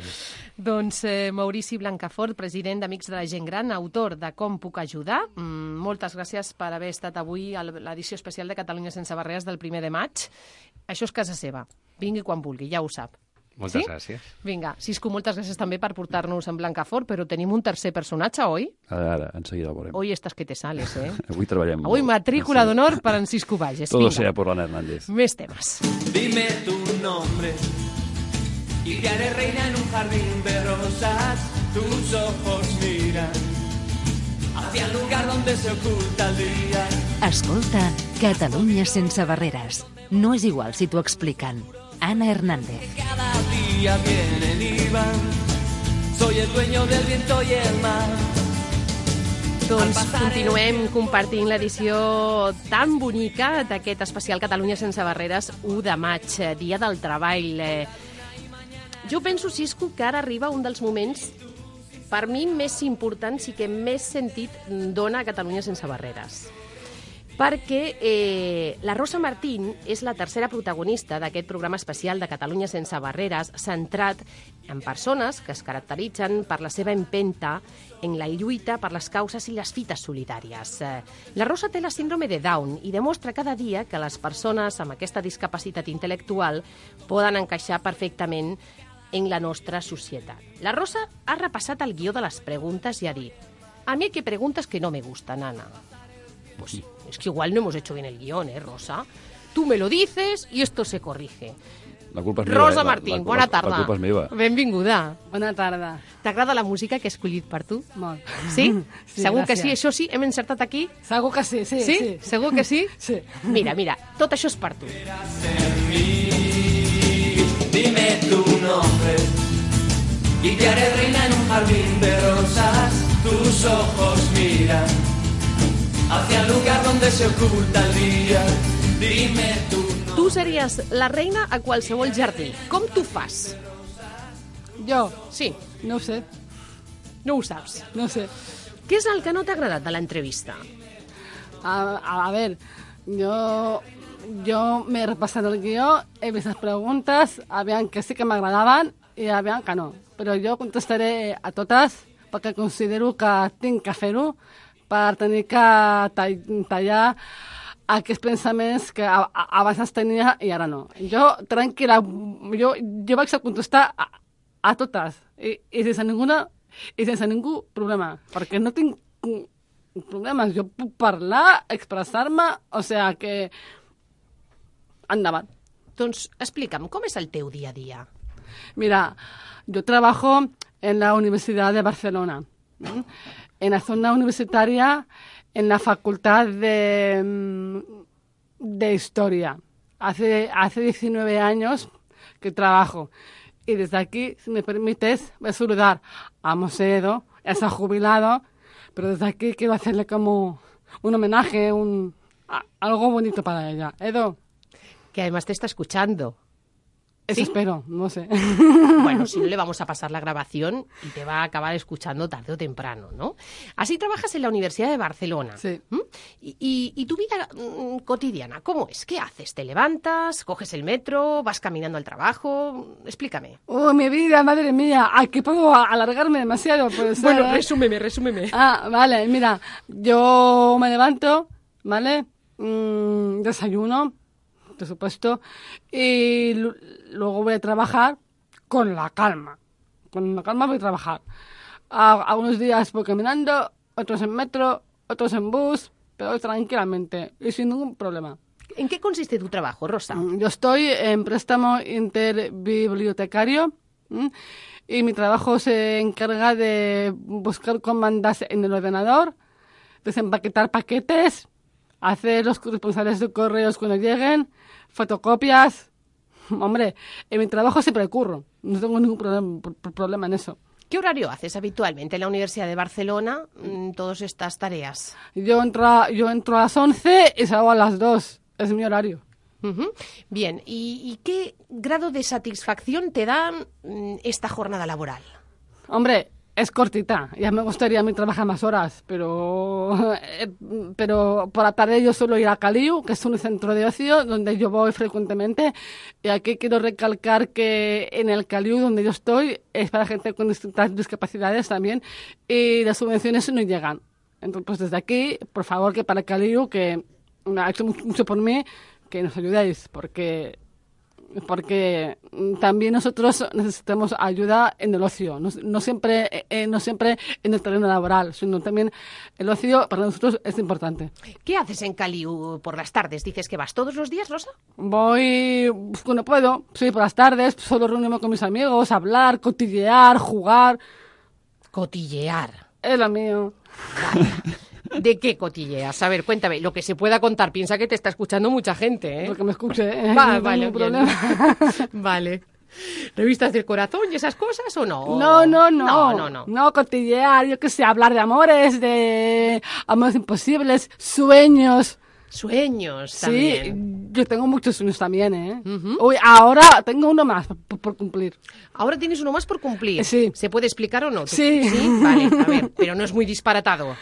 Doncs eh, Maurici Blancafort, president d'Amics de la Gent Gran, autor de Com puc ajudar. Mm, moltes gràcies per haver estat avui a l'edició especial de Catalunya sense barreres del primer de maig. Això és casa seva. Vingui quan vulgui, ja ho sap. Moltes sí? gràcies. Vinga, Cisco, moltes gràcies també per portar-nos en Blancafort, però tenim un tercer personatge, oi? Ara, ara, enseguida el veurem. Hoy estàs que te sales, eh? Avui treballem Avui molt. matrícula Sí. d'honor per en Cisco Valles. Todo Vinga, sea por Ana Hernández. més temes. Dime tu nombre y te haré reina en un jardín de rosas. Tus ojos miran hacia el lugar donde se oculta el día. Escolta Catalunya sense barreres. No és igual si t'ho expliquen. Ana Hernández. Cada día vienen y van. Soy el dueño del viento y el mar. Doncs continuem compartint l'edició tan bonica d'aquest especial Catalunya sense barreres u de maig, eh, Dia del Treball. Eh, Jo penso, Cisco, que ara arriba un dels moments, per mi, més importants i que més sentit dona a Catalunya sense barreres. Perquè eh, la Rosa Martín és la tercera protagonista d'aquest programa especial de Catalunya sense barreres, centrat en persones que es caracteritzen per la seva empenta en la lluita per les causes i les fites solidàries. Eh, La Rosa té la síndrome de Down i demostra cada dia que les persones amb aquesta discapacitat intel·lectual poden encaixar perfectament en la nostra societat. La Rosa ha repassat el guió de les preguntes i ha dit: a mí hay que preguntas que no me gustan, Ana. Pues sí, es que igual no hemos hecho bien el guión, ¿eh, Rosa? Tú me lo dices y esto se corrige. La culpa és meva. Rosa eh? La- Martín, la, bona la, tarda. La culpa és meva. Benvinguda. Bona tarda. T'agrada la música que he escollit per tu? Molt. Sí? Sí, Segur que gràcies. sí? Això sí? Hem encertat aquí? Segur que sí, sí. Sí? sí. Segur que sí? Sí. Mira, mira, tot això és per tu. Dime tu nombre y te haré reina en un jardín de rosas. Tus ojos miran hacia el lugar donde se oculta el día. Dime tu nombre. Tu series la reina a qualsevol jardí. Com tu fas? Jo, Sí, no ho sé, no ho saps. no ho sé. Què és el que no t'ha agradat de l'entrevista? A, a, a ver, yo, yo me he repasado el guió, he vist les preguntes, habían que sí que m'agradaven i habían que no. Però jo contestaré a totes perquè considero que tinc que fer-ho per tenir que tall, tallar aquests pensaments que a, a, abans es tenia i ara no. Jo, tranquil·la, jo, jo vaig a contestar a, a totes i, i sense ninguna i sense ningú problema, perquè no tinc problemes. Jo puc parlar, expressar-me, o sea que endavant. Doncs explica'm, com és el teu dia a dia? Mira, yo trabajo en la Universidad de Barcelona, ¿m? En la zona universitaria, en la Facultad de, mm, de Historia. Hace, hace diecinueve años que trabajo. Y desde aquí, si me permites, voy a saludar a Mosedo, ya se ha jubilado, pero desde aquí quiero hacerle como un homenaje, un, a- algo bonito para ella. Edo, Que además te está escuchando. eso ¿Sí? espero, no sé. Bueno, si no le vamos a pasar la grabación y te va a acabar escuchando tarde o temprano, ¿no? Así trabajas en la Universidad de Barcelona. Sí. ¿Mm? Y, y- y tu vida mm, cotidiana, ¿cómo es? ¿Qué haces? ¿Te levantas? ¿Coges el metro? ¿Vas caminando al trabajo? Explícame. ¡Oh, mi vida, madre mía! Aquí puedo a- alargarme demasiado, puede ser, Bueno, ¿eh? resúmeme, resúmeme. Ah, vale, mira, yo me levanto, ¿vale? Mm, desayuno, por supuesto, y lu- luego voy a trabajar con la calma. Con la calma voy a trabajar. A, a unos días voy caminando, otros en metro, otros en bus, pero tranquilamente y sin ningún problema. ¿En qué consiste tu trabajo, Rosa? Mm, Yo estoy en préstamo interbibliotecario, ¿m? Y mi trabajo se encarga de buscar comandas en el ordenador, desempaquetar paquetes, hacer los corresponsales de correos cuando lleguen, fotocopias. Hombre, en mi trabajo siempre curro, no tengo ningún problem- pro- problema en eso. ¿Qué horario haces habitualmente en la Universidad de Barcelona mm, todas estas tareas? Yo entro a, yo entro a las once y salgo a las dos, es mi horario. Ujú. Bien, ¿y, y qué grado de satisfacción te da mm, esta jornada laboral? Hombre, es cortita. Ya me gustaría a mí trabajar más horas, pero eh, pero por la tarde yo suelo ir a Caliu, que es un centro de ocio donde yo voy frecuentemente. Y aquí quiero recalcar que en el Caliu donde yo estoy es para gente con distintas discapacidades también y las subvenciones no llegan. Entonces, pues desde aquí, por favor, que para Caliu, que me ha hecho mucho mucho por mí, que nos ayudéis, porque porque también nosotros necesitamos ayuda en el ocio, no, no siempre eh, no siempre en el terreno laboral, sino también el ocio para nosotros es importante. ¿Qué haces en Caliu por las tardes? ¿Dices que vas todos los días, Rosa? Voy cuando puedo, sí, por las tardes, solo reunirme con mis amigos, hablar, cotillear, jugar. Cotillear. Es lo mío. Vaya. ¿De qué cotilleas? A ver, cuéntame, lo que se pueda contar. Piensa que te está escuchando mucha gente, ¿eh? Lo que me escuche, ¿eh? Va, no vale, tengo bien. problema. Vale. ¿Revistas del corazón y esas cosas o no? No, no, no. No, no, no. No, cotillear, yo qué sé, hablar de amores, de amores imposibles, sueños. Sueños Sí, también. yo tengo muchos sueños también, ¿eh? Ujú. Uy, ahora tengo uno más por, por cumplir. Ahora tienes uno más por cumplir. Sí. ¿Se puede explicar o no? ¿Tú- Sí. Sí, vale, a ver, pero no es muy disparatado.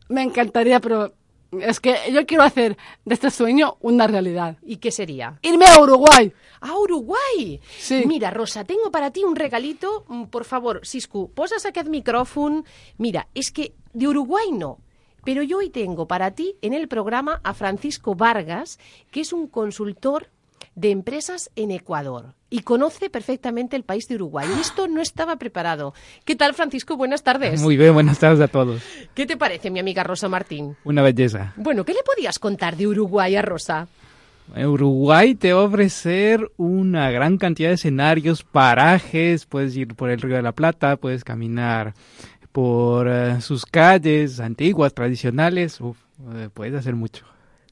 Me encantaría, pero es que yo quiero hacer de este sueño una realidad. ¿Y qué sería? Irme a Uruguay. ¡A Uruguay! Sí. Mira, Rosa, tengo para ti un regalito. Mm, Por favor, Siscu, posas aquest micròfon. Mira, es que de Uruguay no, pero yo hoy tengo para ti en el programa a Francisco Vargas, que es un consultor de empresas en Ecuador y conoce perfectamente el país de Uruguay. Y esto no estaba preparado. ¿Qué tal, Francisco? Buenas tardes. Muy bien, buenas tardes a todos. ¿Qué te parece, mi amiga Rosa Martín? Una belleza. Bueno, ¿qué le podías contar de Uruguay a Rosa? Uruguay te va a ofrecer una gran cantidad de escenarios, parajes, puedes ir por el Río de la Plata, puedes caminar por eh, sus calles antiguas, tradicionales, uf, eh, puedes hacer mucho.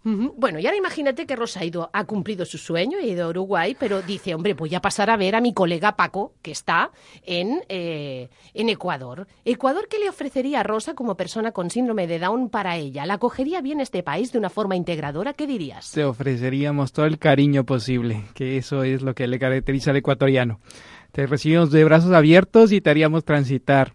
Ujú. Bueno, y ahora imagínate que Rosa ha, ido, ha cumplido su sueño, ha ido a Uruguay, pero dice, hombre, voy a pasar a ver a mi colega Paco, que está en, eh, en Ecuador. ¿Ecuador qué le ofrecería a Rosa como persona con síndrome de Down para ella? ¿La acogería bien este país de una forma integradora? ¿Qué dirías? Te ofreceríamos todo el cariño posible, que eso es lo que le caracteriza al ecuatoriano. Te recibimos de brazos abiertos y te haríamos transitar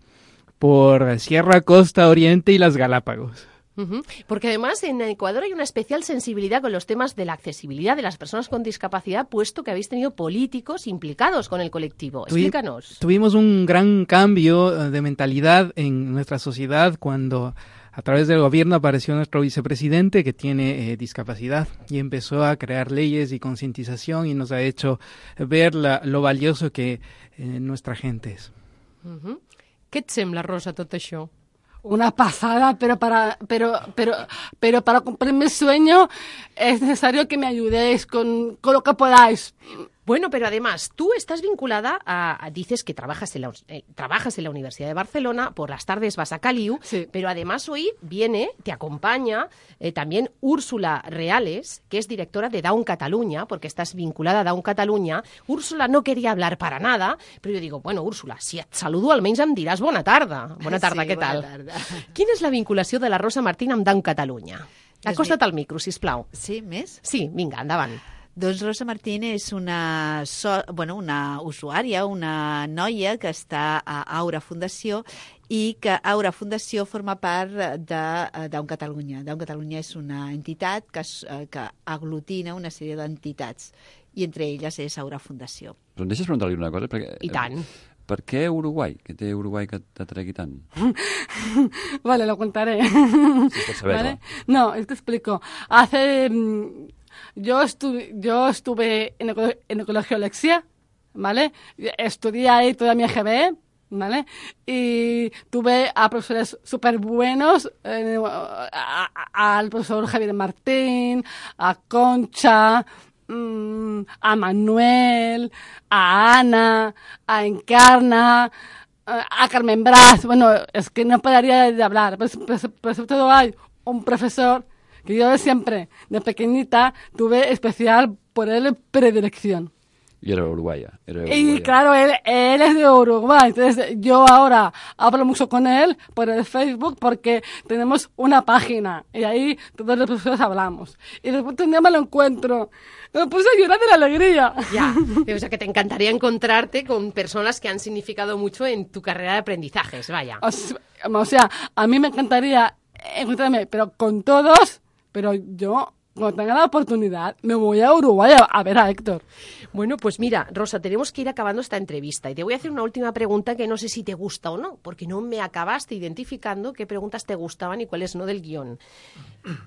por Sierra, Costa, Oriente y las Galápagos. Ujú. Porque además en Ecuador hay una especial sensibilidad con los temas de la accesibilidad de las personas con discapacidad, puesto que habéis tenido políticos implicados con el colectivo. Tuvi- Explícanos. Tuvimos un gran cambio eh, de mentalidad en nuestra sociedad cuando a través del gobierno apareció nuestro vicepresidente que tiene eh, discapacidad y empezó a crear leyes y concientización y nos ha hecho ver la- lo valioso que eh, nuestra gente es. Ujú. Què et sembla, Rosa, tot això? Una pasada, pero para, pero, pero, pero para cumplir mi sueño es necesario que me ayudéis con, con lo que podáis. Bueno, pero además, tú estás vinculada a, a- dices que trabajas en, la, eh, trabajas en la Universidad de Barcelona, por las tardes vas a Caliu, Sí. pero además hoy viene, te acompaña eh, también Úrsula Reales, que es directora de Down Cataluña, porque estás vinculada a Down Cataluña. Úrsula no quería hablar para nada, pero yo digo, bueno, Úrsula, si et saludo almenys em diràs bona tarda. Bona tarda, Sí, què bona tal? tarda. Quina és la vinculació de la Rosa Martín amb Down Catalunya? Doncs Acosta't al micro, sisplau. Sí, més? Sí, vinga, endavant. Doncs Rosa Martín és una, so, bueno, una usuària, una noia que està a Aura Fundació i que Aura Fundació forma part de eh, Down Catalunya. Down Catalunya és una entitat que, es- eh, que aglutina una sèrie d'entitats i entre elles és Aura Fundació. Però em deixes preguntar-li una cosa? Perquè, I tant. Per què Uruguai? Què té Uruguai que t'atregui tant? Vale, lo contaré. Si pots saber-la. ¿Vale? No, te explico. Hace... mm, Yo, estu- yo estuve en el, co- en el colegio Alexia, ¿vale? Estudié ahí toda mi E G B, ¿vale? Y tuve a profesores súper buenos, eh, a- a- al profesor Javier Martín, a Concha, mm, a Manuel, a Ana, a Encarna, a Carmen Braz. Bueno, es que no pararía de hablar, pero, pero- pero sobre todo hay un profesor que yo de siempre, de pequeñita, tuve especial por él predilección. I era uruguaia. Era Y uruguaia. claro, él, él es de Uruguay, entonces yo ahora hablo mucho con él por el Facebook porque tenemos una página y ahí todos los profesores hablamos. Y después un día me lo encuentro, me puse a llorar de la alegría. Ya, o sea que te encantaría encontrarte con personas que han significado mucho en tu carrera de aprendizajes, vaya. O sea, o sea, a mí me encantaría encontrarme, pero con todos, pero yo, cuando tenga la oportunidad, me voy a Uruguay a, a ver a Héctor. Bueno, pues mira, Rosa, tenemos que ir acabando esta entrevista y te voy a hacer una última pregunta que no sé si te gusta o no, porque no me acabaste identificando qué preguntas te gustaban y cuáles no del guión.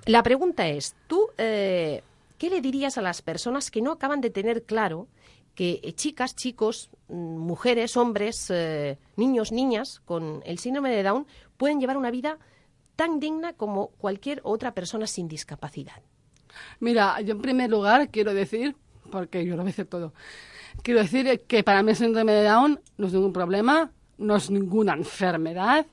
La pregunta es, tú, eh, ¿qué le dirías a las personas que no acaban de tener claro que eh, chicas, chicos, mm, mujeres, hombres, eh, niños, niñas con el síndrome de Down pueden llevar una vida tan digna como cualquier otra persona sin discapacidad. Mira, yo en primer lugar quiero decir, porque yo lo voy a decir todo, quiero decir que para mí el síndrome de Down no es ningún problema, no es ninguna enfermedad,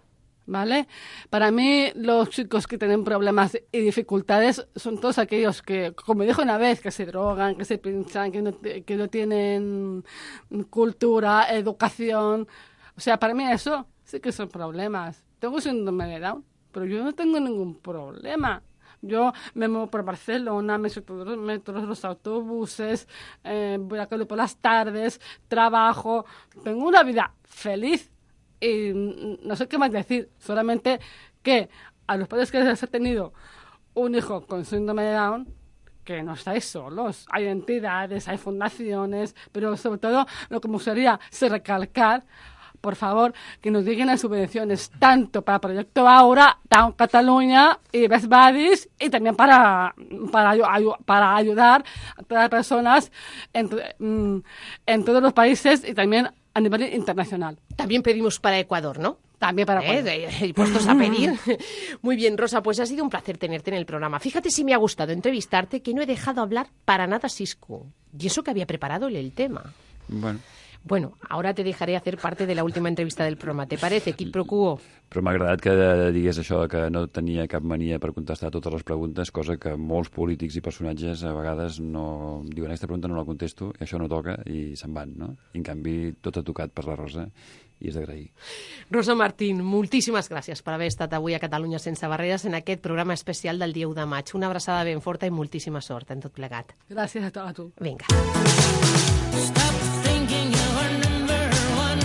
¿vale? Para mí los chicos que tienen problemas y dificultades son todos aquellos que, como dijo una vez, que se drogan, que se pinchan, que no, que no tienen cultura, educación. O sea, para mí eso sí que son problemas. Tengo síndrome de Down, pero yo no tengo ningún problema. Yo me muevo por Barcelona, me subo todos los metros, los autobuses, eh, voy a calle por las tardes, trabajo, tengo una vida feliz y no sé qué más decir, solamente que a los padres que les ha tenido un hijo con síndrome de Down, que no estáis solos, hay entidades, hay fundaciones, pero sobre todo lo que me gustaría es recalcar, por favor, que nos lleguen las subvenciones tanto para Proyecto Aura, Down Cataluña y Best Buddies y también para, para, para ayudar a todas las personas en, en todos los países y también a nivel internacional. También pedimos para Ecuador, ¿no? También para Ecuador. ¿Eh? Y puestos a pedir. Muy bien, Rosa, pues ha sido un placer tenerte en el programa. Fíjate si me ha gustado entrevistarte que no he dejado hablar para nada a Siscu. Y eso que había preparado el tema. Bueno. Bueno, ahora te dejaré hacer parte de la última entrevista del programa. ¿Te parece, Quid pro quo? Però m'ha agradat que digués això, que no tenia cap mania per contestar totes les preguntes, cosa que molts polítics i personatges a vegades no diuen aquesta pregunta no la contesto, i això no toca, i se'n van, no? I en canvi, tot ha tocat per la Rosa, i és d'agrair. Rosa Martín, moltíssimes gràcies per haver estat avui a Catalunya Sense Barreres en aquest programa especial del dia u de maig. Una abraçada ben forta i moltíssima sort en tot plegat. Gràcies a, a tu. Vinga. Stop thinking you were number one.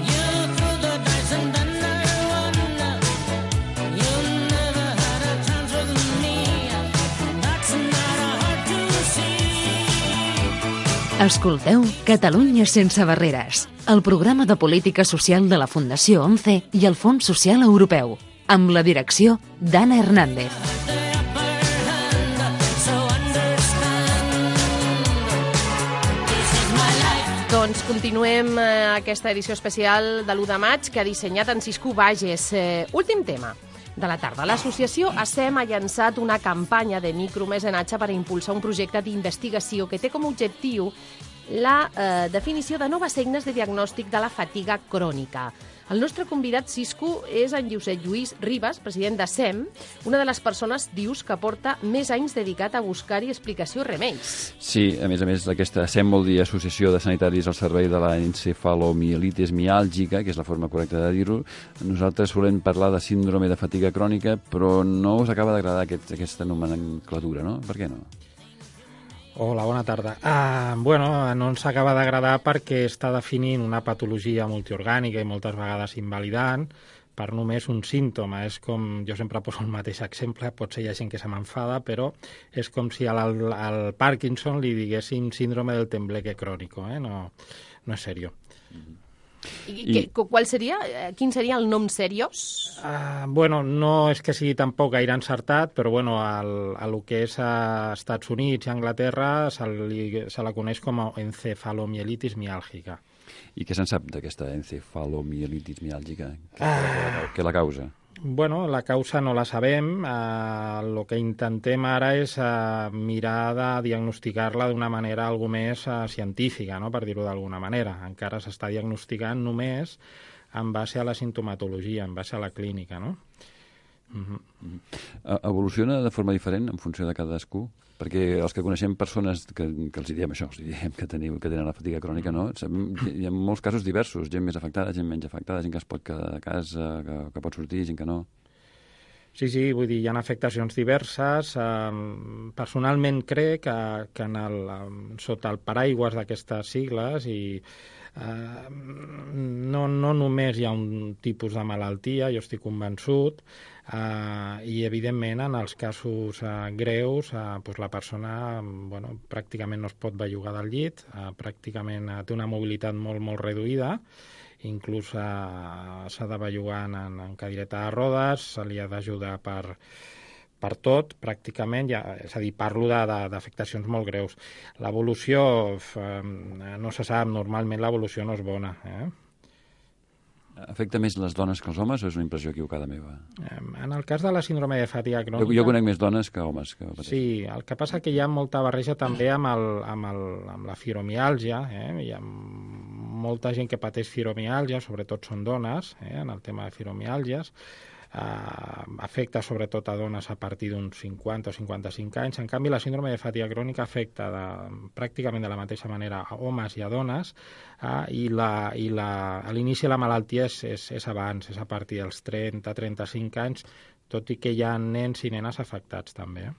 You threw the dice and then there won. You never had a chance with me. That's not hard to see. Escolteu Catalunya Sense Barreres, el programa de política social de la Fundació ONCE i el Fons Social Europeu, amb la direcció d'Anna Hernández. Doncs continuem eh, aquesta edició especial de l'u de maig que ha dissenyat en Siscu Bages. Eh, últim tema de la tarda. L'associació ASEM ha llançat una campanya de micromecenatge per a impulsar un projecte d'investigació que té com a objectiu la eh, definició de noves eines de diagnòstic de la fatiga crònica. El nostre convidat, Siscu, és en Josep Lluís Ribas, president d'ASEM, una de les persones, dius, que porta més anys dedicat a buscar-hi explicació i remeis. Sí, a més a més, aquesta ASEM vol dir Associació de Sanitaris al Servei de la Encefalomielitis Miàlgica, que és la forma correcta de dir-ho. Nosaltres solem parlar de síndrome de fatiga crònica, però no us acaba d'agradar aquest, aquesta nomenclatura, no? Per què no? Hola, bona tarda. Uh, bueno, no ens acaba d'agradar perquè està definint una patologia multiorgànica i moltes vegades invalidant per només un símptoma. És com, jo sempre poso el mateix exemple, potser hi ha gent que se m'enfada, però és com si al, al Parkinson li diguessin síndrome del tembleque crònico, eh? No, no és seriós. Mm-hmm. I, I... Qual seria? Quin seria el nom seriós? Uh, bueno, no és que sigui tampoc gaire encertat, però bueno, al, a lo que és a Estats Units i Anglaterra se, li, se la coneix com a encefalomielitis miàlgica. I què se'n sap d'aquesta encefalomielitis miàlgica? Què, Ah. què la causa? Bueno, la causa no la sabem. Eh, el que intentem ara és eh, mirar de diagnosticar-la d'una manera algo més eh, científica, no? Per dir-ho d'alguna manera. Encara s'està diagnosticant només en base a la sintomatologia, en base a la clínica, no? Uh-huh. Uh-huh. Evoluciona de forma diferent en funció de cadascú? Perquè els que coneixem persones que, que els diem això, els diem que, teniu, que tenen la fatiga crònica, no? Sabem, hi ha molts casos diversos, gent més afectada, gent menys afectada, gent que es pot quedar a casa, que, que pot sortir, gent que no. Sí, sí, vull dir, hi ha afectacions diverses. Um, personalment crec que, que en el, um, sota el paraigües d'aquestes sigles i uh, no, no només hi ha un tipus de malaltia, jo estic convençut, Uh, i evidentment en els casos uh, greus uh, pues la persona bueno, pràcticament no es pot bellugar del llit, uh, pràcticament uh, té una mobilitat molt molt reduïda, inclús uh, s'ha de bellugar en, en cadireta de rodes, se li ha d'ajudar per, per tot, pràcticament, ja, és a dir, parlo de- de- d'afectacions molt greus. L'evolució, eh, no se sap, normalment l'evolució no és bona. Eh? Afecta més les dones que els homes o és una impressió equivocada meva? Eh, En el cas de la síndrome de fatiga Jo, crònica... jo conec més dones que homes que pateixen. Sí, el que passa que hi ha molta barreja també amb, el, amb, el, amb la fibromiàlgia. Eh? Hi ha molta gent que pateix fibromiàlgia, sobretot són dones, eh? en el tema de fibromiàlgies. Uh, afecta sobretot a dones a partir d'uns cinquanta o cinquanta-cinc anys. En canvi, la síndrome de fatiga crònica afecta de, pràcticament de la mateixa manera a homes i a dones, uh, i, la, i la, a l'inici de la malaltia és, és, és abans, és a partir dels trenta a trenta-cinc anys, tot i que hi ha nens i nenes afectats també. Eh?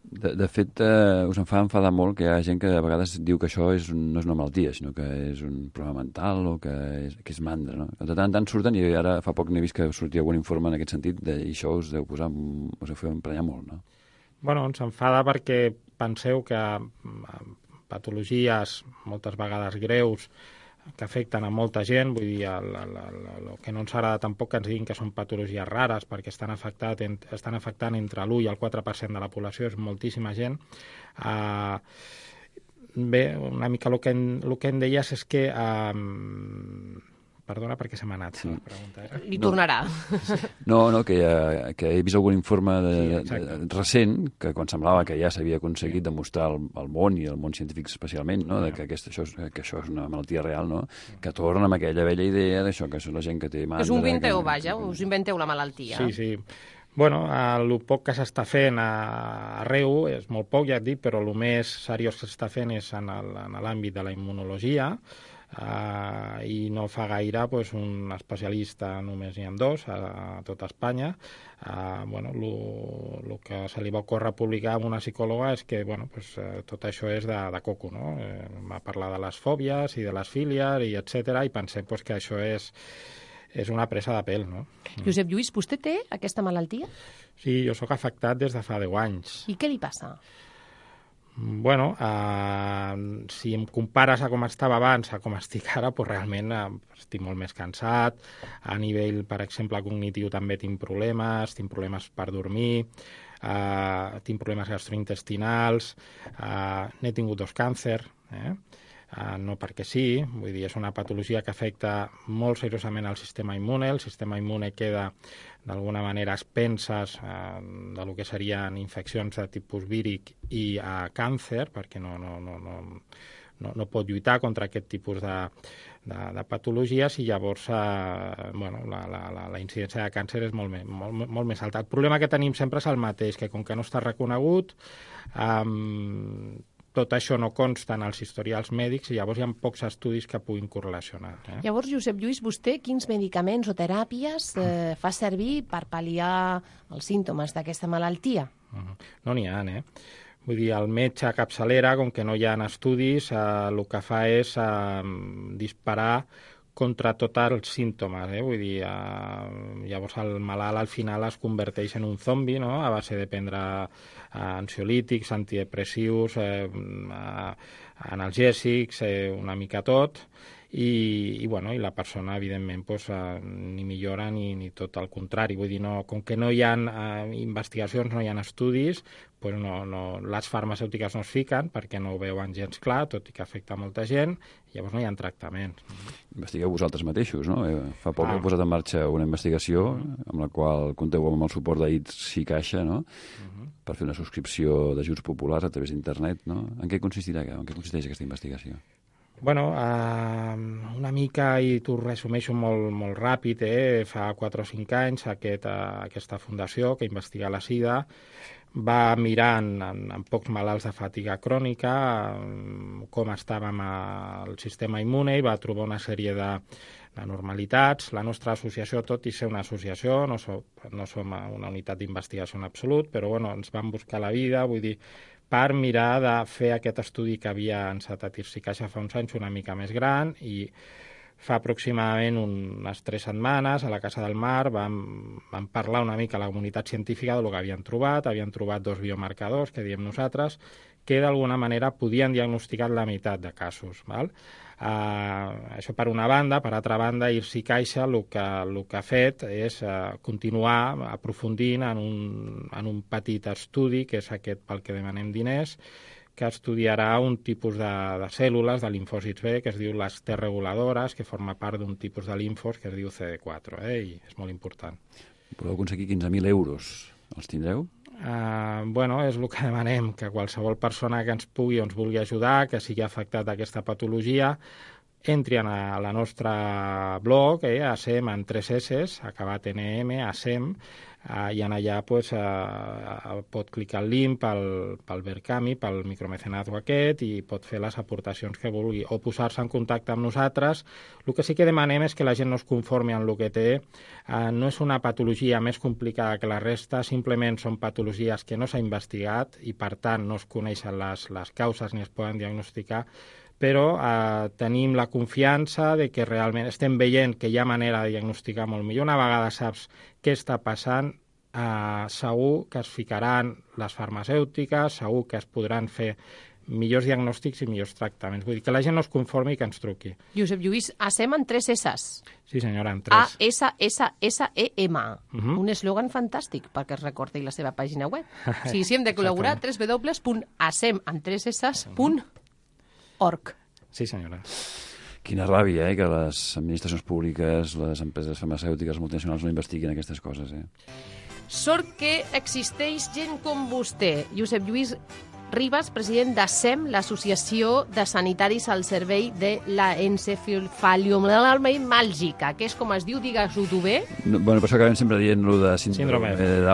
De, de fet, eh, us en fa enfadar molt que hi ha gent que a vegades diu que això és un, no és una malaltia, sinó que és un problema mental o que és, que és mandra, no? De tant en tant surten, i ara fa poc n'he vist que sortia algun informe en aquest sentit, de, i això us deu posar, us deu fer emprenyar molt, no? Bueno, ens enfada perquè penseu que patologies moltes vegades greus que afecten a molta gent, vull dir, el, el, el, el que no ens agrada tampoc que ens diguin que són patologies rares, perquè estan, afectat, estan afectant entre l'u i el quatre per cent de la població, és moltíssima gent. Uh, bé, una mica el que, el que em deies és que... Uh, perdona, perquè se m'ha anat, sí. La pregunta era. Li tornarà. No, no, que, uh, que he vist algun informe de, sí, de, de, recent, que quan semblava que ja s'havia aconseguit sí. demostrar al, al món, i al món científic especialment, no? de que, aquesta, això és, que això és una malaltia real, no? Que torna amb aquella vella idea d'això, que és la gent que té mandra... És un inventeu, que, vaja, que... us inventeu la malaltia. Sí, sí. Bueno, el poc que s'està fent a, arreu, és molt poc, ja et dic, però el més seriós que s'està fent és en l'àmbit de la immunologia, Uh, i no fa gaire pues, un especialista, només n'hi ha dos a, a tota Espanya. Uh, bueno, el que se li va ocórrer publicar amb una psicòloga és que bueno, pues, uh, tot això és de, de coco, no? Eh, va parlar de les fòbies i de les fílies i etcètera, i pensem pues, que això és, és una presa de pèl, no? Josep Lluís, vostè té aquesta malaltia? Sí, jo sóc afectat des de fa deu anys. I què li passa? Bueno, eh, si em compares a com estava abans a com estic ara, doncs realment eh, estic molt més cansat. A nivell, per exemple, cognitiu també tinc problemes, tinc problemes per dormir, eh, tinc problemes gastrointestinals, eh, n'he tingut dos càncers, eh? Uh, no perquè sí, vull dir, és una patologia que afecta molt seriosament al sistema immune. El sistema immune queda d'alguna manera a expenses uh, de lo que serien infeccions de tipus víric i uh, càncer, perquè no, no, no, no, no, no pot lluitar contra aquest tipus de, de, de patologies, i llavors uh, bueno, la, la, la, la incidència de càncer és molt, molt, molt més alta. El problema que tenim sempre és el mateix, que com que no està reconegut, um, tot això no consta en els historials mèdics, i llavors hi ha pocs estudis que puguin correlacionar. Eh? Llavors, Josep Lluís, vostè quins medicaments o teràpies eh, fa servir per pal·liar els símptomes d'aquesta malaltia? Uh-huh. No n'hi ha, eh? Vull dir, el metge a capçalera, com que no hi ha estudis, eh, el que fa és eh, disparar contra tots els símptomes, eh? Vull dir, eh, llavors el malalt al final es converteix en un zombi, no?, a base de prendre eh, ansiolítics, antidepressius, eh, eh, analgèsics, eh, una mica tot, i, i, bueno, i la persona, evidentment, pues, eh, ni millora ni, ni tot el contrari. Vull dir, no, com que no hi ha eh, investigacions, no hi ha estudis, pues no, no, les farmacèutiques no es fiquen perquè no ho veuen gens clar, tot i que afecta molta gent, i llavors no hi ha tractaments. Investigueu vosaltres mateixos, no? Fa poc Ah. heu posat en marxa una investigació amb la qual compteu amb el suport d'A I T S i Caixa, no? Uh-huh. Per fer una subscripció d'ajuts populars a través d'internet, no? En què consistirà, en què consisteix aquesta investigació? Bueno, eh, una mica, i t'ho resumeixo molt, molt ràpid, eh? Fa quatre o cinc anys aquest, eh, aquesta fundació que investiga la sida va mirar en, en, en pocs malalts de fatiga crònica eh, com estava amb el sistema immune, i va trobar una sèrie de, de normalitats. La nostra associació, tot i ser una associació, no, so, no som una unitat d'investigació en absolut, però bueno, ens vam buscar la vida, vull dir, per mirar de fer aquest estudi que havia encetat I R S i Caixa fa uns anys una mica més gran, i fa aproximadament unes tres setmanes a la Casa del Mar vam, vam parlar una mica a la comunitat científica del que havien trobat. Havien trobat dos biomarcadors, que diem nosaltres, que d'alguna manera podien diagnosticar la meitat de casos. Val? Uh, això per una banda. Per altra banda, I R S I Caixa el que, el que ha fet és uh, continuar aprofundint en un, en un petit estudi, que és aquest pel que demanem diners, que estudiarà un tipus de, de cèl·lules de linfòcits B, que es diu les T reguladores, que forma part d'un tipus de linfos que es diu C D quatre, eh? I és molt important. Podeu aconseguir quinze mil euros. Els tindreu? Uh, bueno, és el que demanem, que qualsevol persona que ens pugui o ens vulgui ajudar, que sigui afectat d'aquesta patologia, entri a la nostra blog, eh, ASEM en tres S, acabat en E M, ASEM, uh, i en allà pues, uh, pot clicar el link pel, pel Verkami, pel micromecenazgo aquest, i pot fer les aportacions que vulgui, o posar-se en contacte amb nosaltres. El que sí que demanem és que la gent no es conformi amb el que té. Uh, no és una patologia més complicada que la resta, simplement són patologies que no s'ha investigat i, per tant, no es coneixen les, les causes ni es poden diagnosticar, però eh, tenim la confiança de que realment estem veient que hi ha manera de diagnosticar molt millor. Una vegada saps què està passant, eh, segur que es ficaran les farmacèutiques, segur que es podran fer millors diagnòstics i millors tractaments. Vull dir que la gent no es conformi i que ens truqui. Josep Lluís, ASEM en tres S's. Sí, senyora, en A tres. S S S E M. Uh -huh. Un eslògan fantàstic perquè es recordi la seva pàgina web. Sí, sí, hem de col·laborar, w w w punt asem en tres s punt org. Sí, senyora. Quina ràbia, eh, que les administracions públiques, les empreses farmacèutiques, multinacionals no investiguin aquestes coses, eh? Sort que existeix gent com vostè, Josep Lluís Ribas, president d'ASEM, l'Associació de Sanitaris al Servei de la Encefaliomàlgica, que és com es diu, digues-ho tu bé. No, bueno, per això acabem sempre dient-lo de síndrome. Síndrome. Eh, de,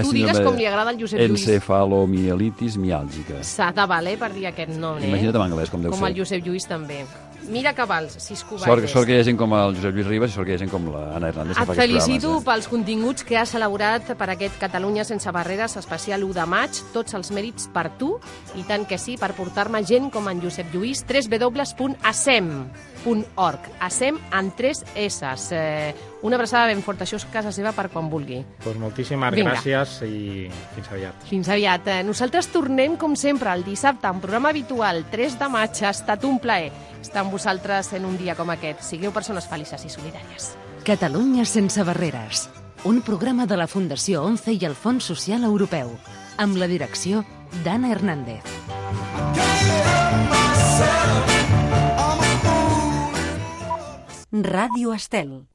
Tu digues com li agrada al Josep Lluís. Encefalomielitis miàlgica. S'ha de valer per dir aquest nom, eh? Imagina't en anglès, com deu com ser. el Josep Lluís també. Mira que vals, sis covardes. Sort, sort que hi ha gent com el Josep Lluís Ribas i sort que hi ha gent com l'Anna Hernández. que Et fa aquests felicito programes, pels continguts que has elaborat per aquest Catalunya sense barreres especial u de maig. Tots els mèrits per tu, i tant que sí, per portar-me gent com en Josep Lluís. w w w punt asem punt org. ASEM en tres S's. Eh, una abraçada ben forta. Això és casa seva per quan vulgui. Pues moltíssimes Vinga. gràcies i fins aviat. Fins aviat. Eh, Nosaltres tornem, com sempre, el dissabte, en programa habitual, tres de maig. Ha estat un plaer estar amb vosaltres en un dia com aquest. Sigueu persones felices i solidàries. Catalunya sense barreres. Un programa de la Fundació ONCE i el Fons Social Europeu. Amb la direcció d'Anna Hernández. Ràdio Estel.